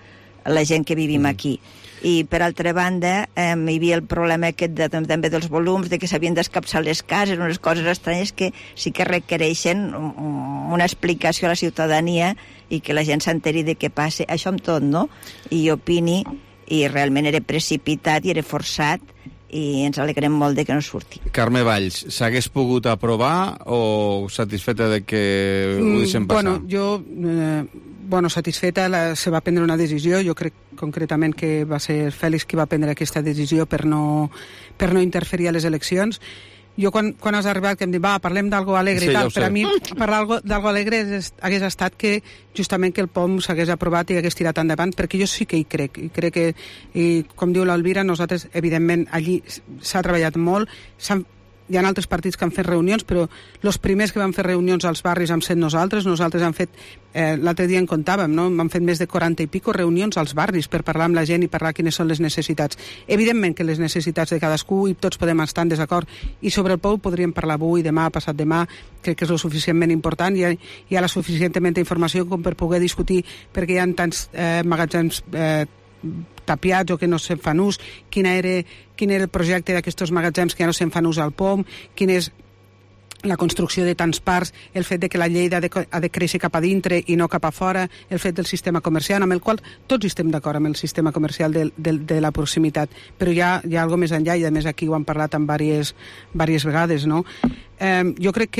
la gent que vivim aquí. I per altra banda hi havia el problema aquest també dels volums, de que s'havien d'escapçar les cases, unes coses estranyes que sí que requereixen una explicació a la ciutadania i que la gent s'enteri de què passa, això amb tot, no? I opini, i realment era precipitat i era forçat, i ens alegrem molt de que no surti. Carme Valls, s'hagués pogut aprovar o satisfeta de que ho deixem passar? Satisfeta, se va prendre una decisió. Jo crec concretament que va ser Fèlix qui va prendre aquesta decisió per no interferir a les eleccions. Jo quan has arribat que em dic, parlem d'algo alegre i tal, per a mi parlar d'algo alegre hagués estat que justament que el POUM s'hagués aprovat i hagués tirat endavant, perquè jo sí que hi crec, i crec que, com diu l'Elvira, nosaltres, evidentment, allí s'ha treballat molt, hi ha altres partits que han fet reunions, però els primers que van fer reunions als barris hem set nosaltres hem fet, l'altre dia en comptàvem, no? Hem fet més de 40 i pico reunions als barris per parlar amb la gent i parlar quines són les necessitats. Evidentment que les necessitats de cadascú, i tots podem estar en desacord, i sobre el POUM podríem parlar avui, demà, passat demà, crec que és lo suficientment important, hi ha la suficientment informació com per poder discutir perquè hi ha tants magatzems tapiats o que no se'n fan ús, quin era el projecte d'aquests magatzems que ja no se'n fan ús al POUM, quina és la construcció de tants parcs, el fet de que la Lleida ha de créixer cap a dintre i no cap a fora, el fet del sistema comercial, amb el qual tots estem d'acord amb el sistema comercial de la proximitat, però hi ha alguna més enllà, i a més aquí ho hem parlat en diverses vegades, no? Jo crec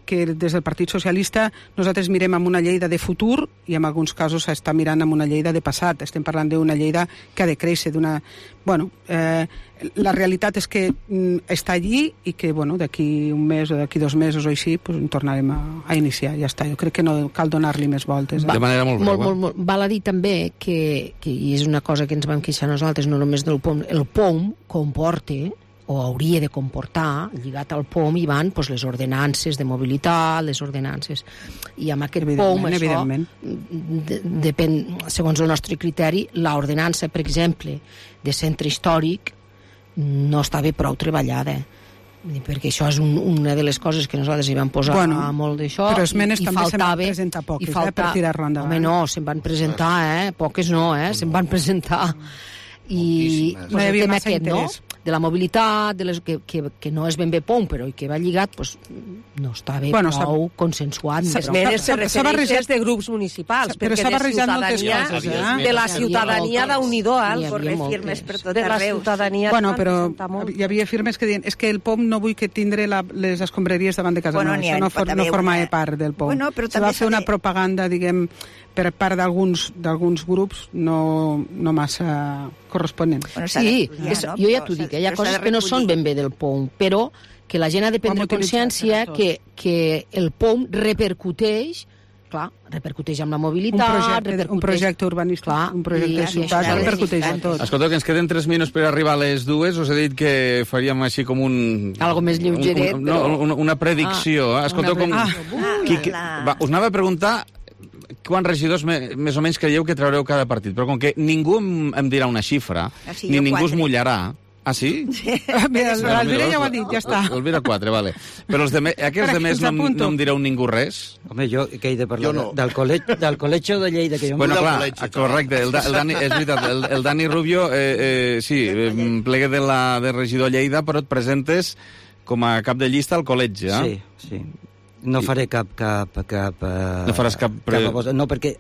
que des del Partit Socialista nosaltres mirem amb una Lleida de futur i en alguns casos s'està mirant amb una Lleida de passat. Estem parlant d'una Lleida que ha de créixer, la realitat és que està allí i que d'aquí un mes o d'aquí 2 mesos o així tornarem a iniciar, ja està. Jo crec que no cal donar-li més voltes. De manera molt breu. Molt. Val a dir també que i és una cosa que ens vam queixar nosaltres, no només del POUM, el POUM comporta o hauria de comportar, lligat al POUM, hi van les ordenances de mobilitat, les ordenances. I amb aquest POUM, això, depèn, segons el nostre criteri, l'ordenança, per exemple, de centre històric, no estava prou treballada. Perquè això és una de les coses que nosaltres hi vam posar molt d'això. Però esmenes també se'n van presentar poques, per tirar-lo endavant. Home, no, se'n van presentar, poques no, se'n van presentar. I no hi havia massa interès. De la mobilitat, que no és ben bé POUM, però que va lligat, no està bé prou consensuat. S'ha barrejat de grups municipals, però s'ha barrejat moltes coses. De la ciutadania d'Unido, firmes per tot arreu. Però hi havia firmes que deien és que el POUM no vull que tindre les escombraries davant de casa meva. Això no formava part del POUM. Se va fer una propaganda, diguem, per part d'alguns grups no massa corresponent. Sí, jo ja t'ho dic, hi ha coses que no són ben bé del POUM, però que la gent ha de prendre consciència que el POUM repercuteix clar, repercuteix amb la mobilitat... Un projecte urbanístic, clar, un projecte de ciutat, repercuteix en tot. Escolta, que ens queden 3 minuts per arribar a les 2. Us he dit que faríem així com un... Algo més lleugeret. Una predicció. Escolteu com... Us anava a preguntar quants regidors més o menys creieu que traureu cada partit, però com que ningú em dirà una xifra, ni ningú es mullarà... Ah, sí? Mira, l'Alvira ja ho ha dit, ja està. L'Alvira 4, vale. Però aquests de més no em direu ningú res? Home, jo que he de parlar del col·legi de Lleida, que jo... Bueno, clar, correcte, és veritat, el Dani Rubio, sí, plegue de regidor Lleida, però et presentes com a cap de llista al col·legi, eh? Sí. No faré cap... No faràs cap... No, perquè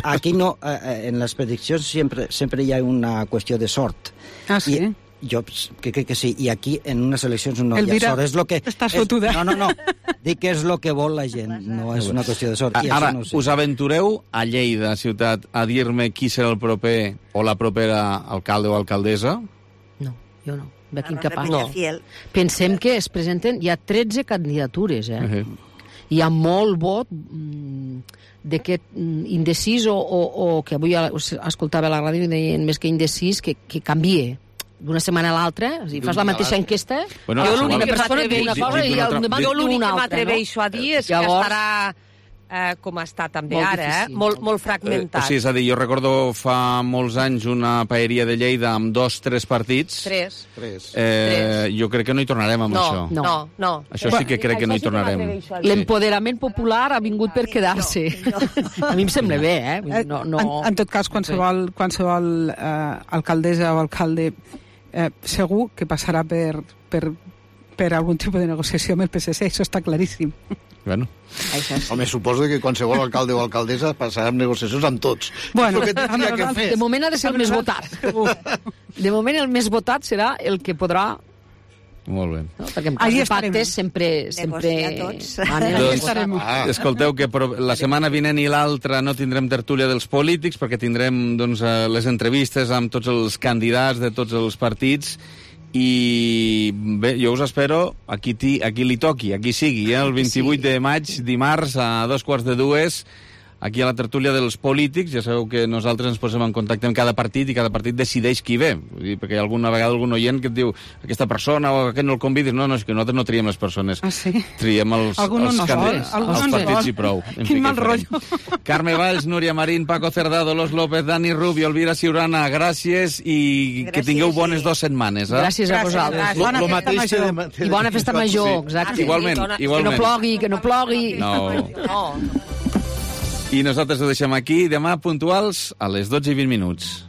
aquí no, en les prediccions sempre hi ha una qüestió de sort. Ah, sí? Jo crec que sí, i aquí en unes eleccions no hi ha sort. És lo que, estàs fotuda. No. Dic que és el que vol la gent, no és una qüestió de sort. Ara, us aventureu a Lleida, ciutat, a dir-me qui serà el proper o la propera alcalde o alcaldessa? No, jo no. Veig incapaç. No. Pensem que es presenten... Hi ha 13 candidatures, Hi ha molt vot d'aquest indecís o que avui escoltava a la ràdio i deien més que indecís, que canvie d'una setmana a l'altra, si fas la mateixa enquesta, jo l'única persona que una cosa i el demà l'únic que m'atreveixo a dir és que estarà com està també ara, molt fragmentat. Sí, és a dir, jo recordo fa molts anys una paeria de Lleida amb 2-3 partits. 3. Jo crec que no hi tornarem amb això. No. Això sí que crec que no hi tornarem. L'empoderament popular ha vingut per quedar-se. A mi em sembla bé, En tot cas, qualsevol alcaldessa o alcalde segur que passarà per algun tipus de negociació amb el PSC, això està claríssim. Bueno. Home, suposo que qualsevol alcalde o alcaldessa passarà amb negociacions amb tots. Bueno, de moment ha de ser el més votat. De moment el més votat serà el que podrà... Molt bé. No? Perquè en cas de pactes sempre... Escolteu, que la setmana vinent i l'altra no tindrem tertúlia dels polítics perquè tindrem les entrevistes amb tots els candidats de tots els partits i bé, jo us espero aquí li toqui, aquí sigui, el 28 de maig, dimarts a 2:45, aquí a la tertúlia dels polítics. Ja sabeu que nosaltres ens posem en contacte amb cada partit i cada partit decideix qui ve, perquè hi ha alguna vegada algun oient que et diu aquesta persona o aquest no el convidis. No, és que nosaltres no triem les persones. Ah, sí? Triem els partits i prou. Quin mal rotllo. Carme Valls, Núria Marín, Paco Cerdà, Dolors López, Dani Rubio, Elvira Ciurana, gràcies i que tingueu bones 2 setmanes. Gràcies a vosaltres. I bona festa major, exacte. Igualment. Que no plogui. No. I nosaltres ho deixem aquí, demà puntuals a les 12:20.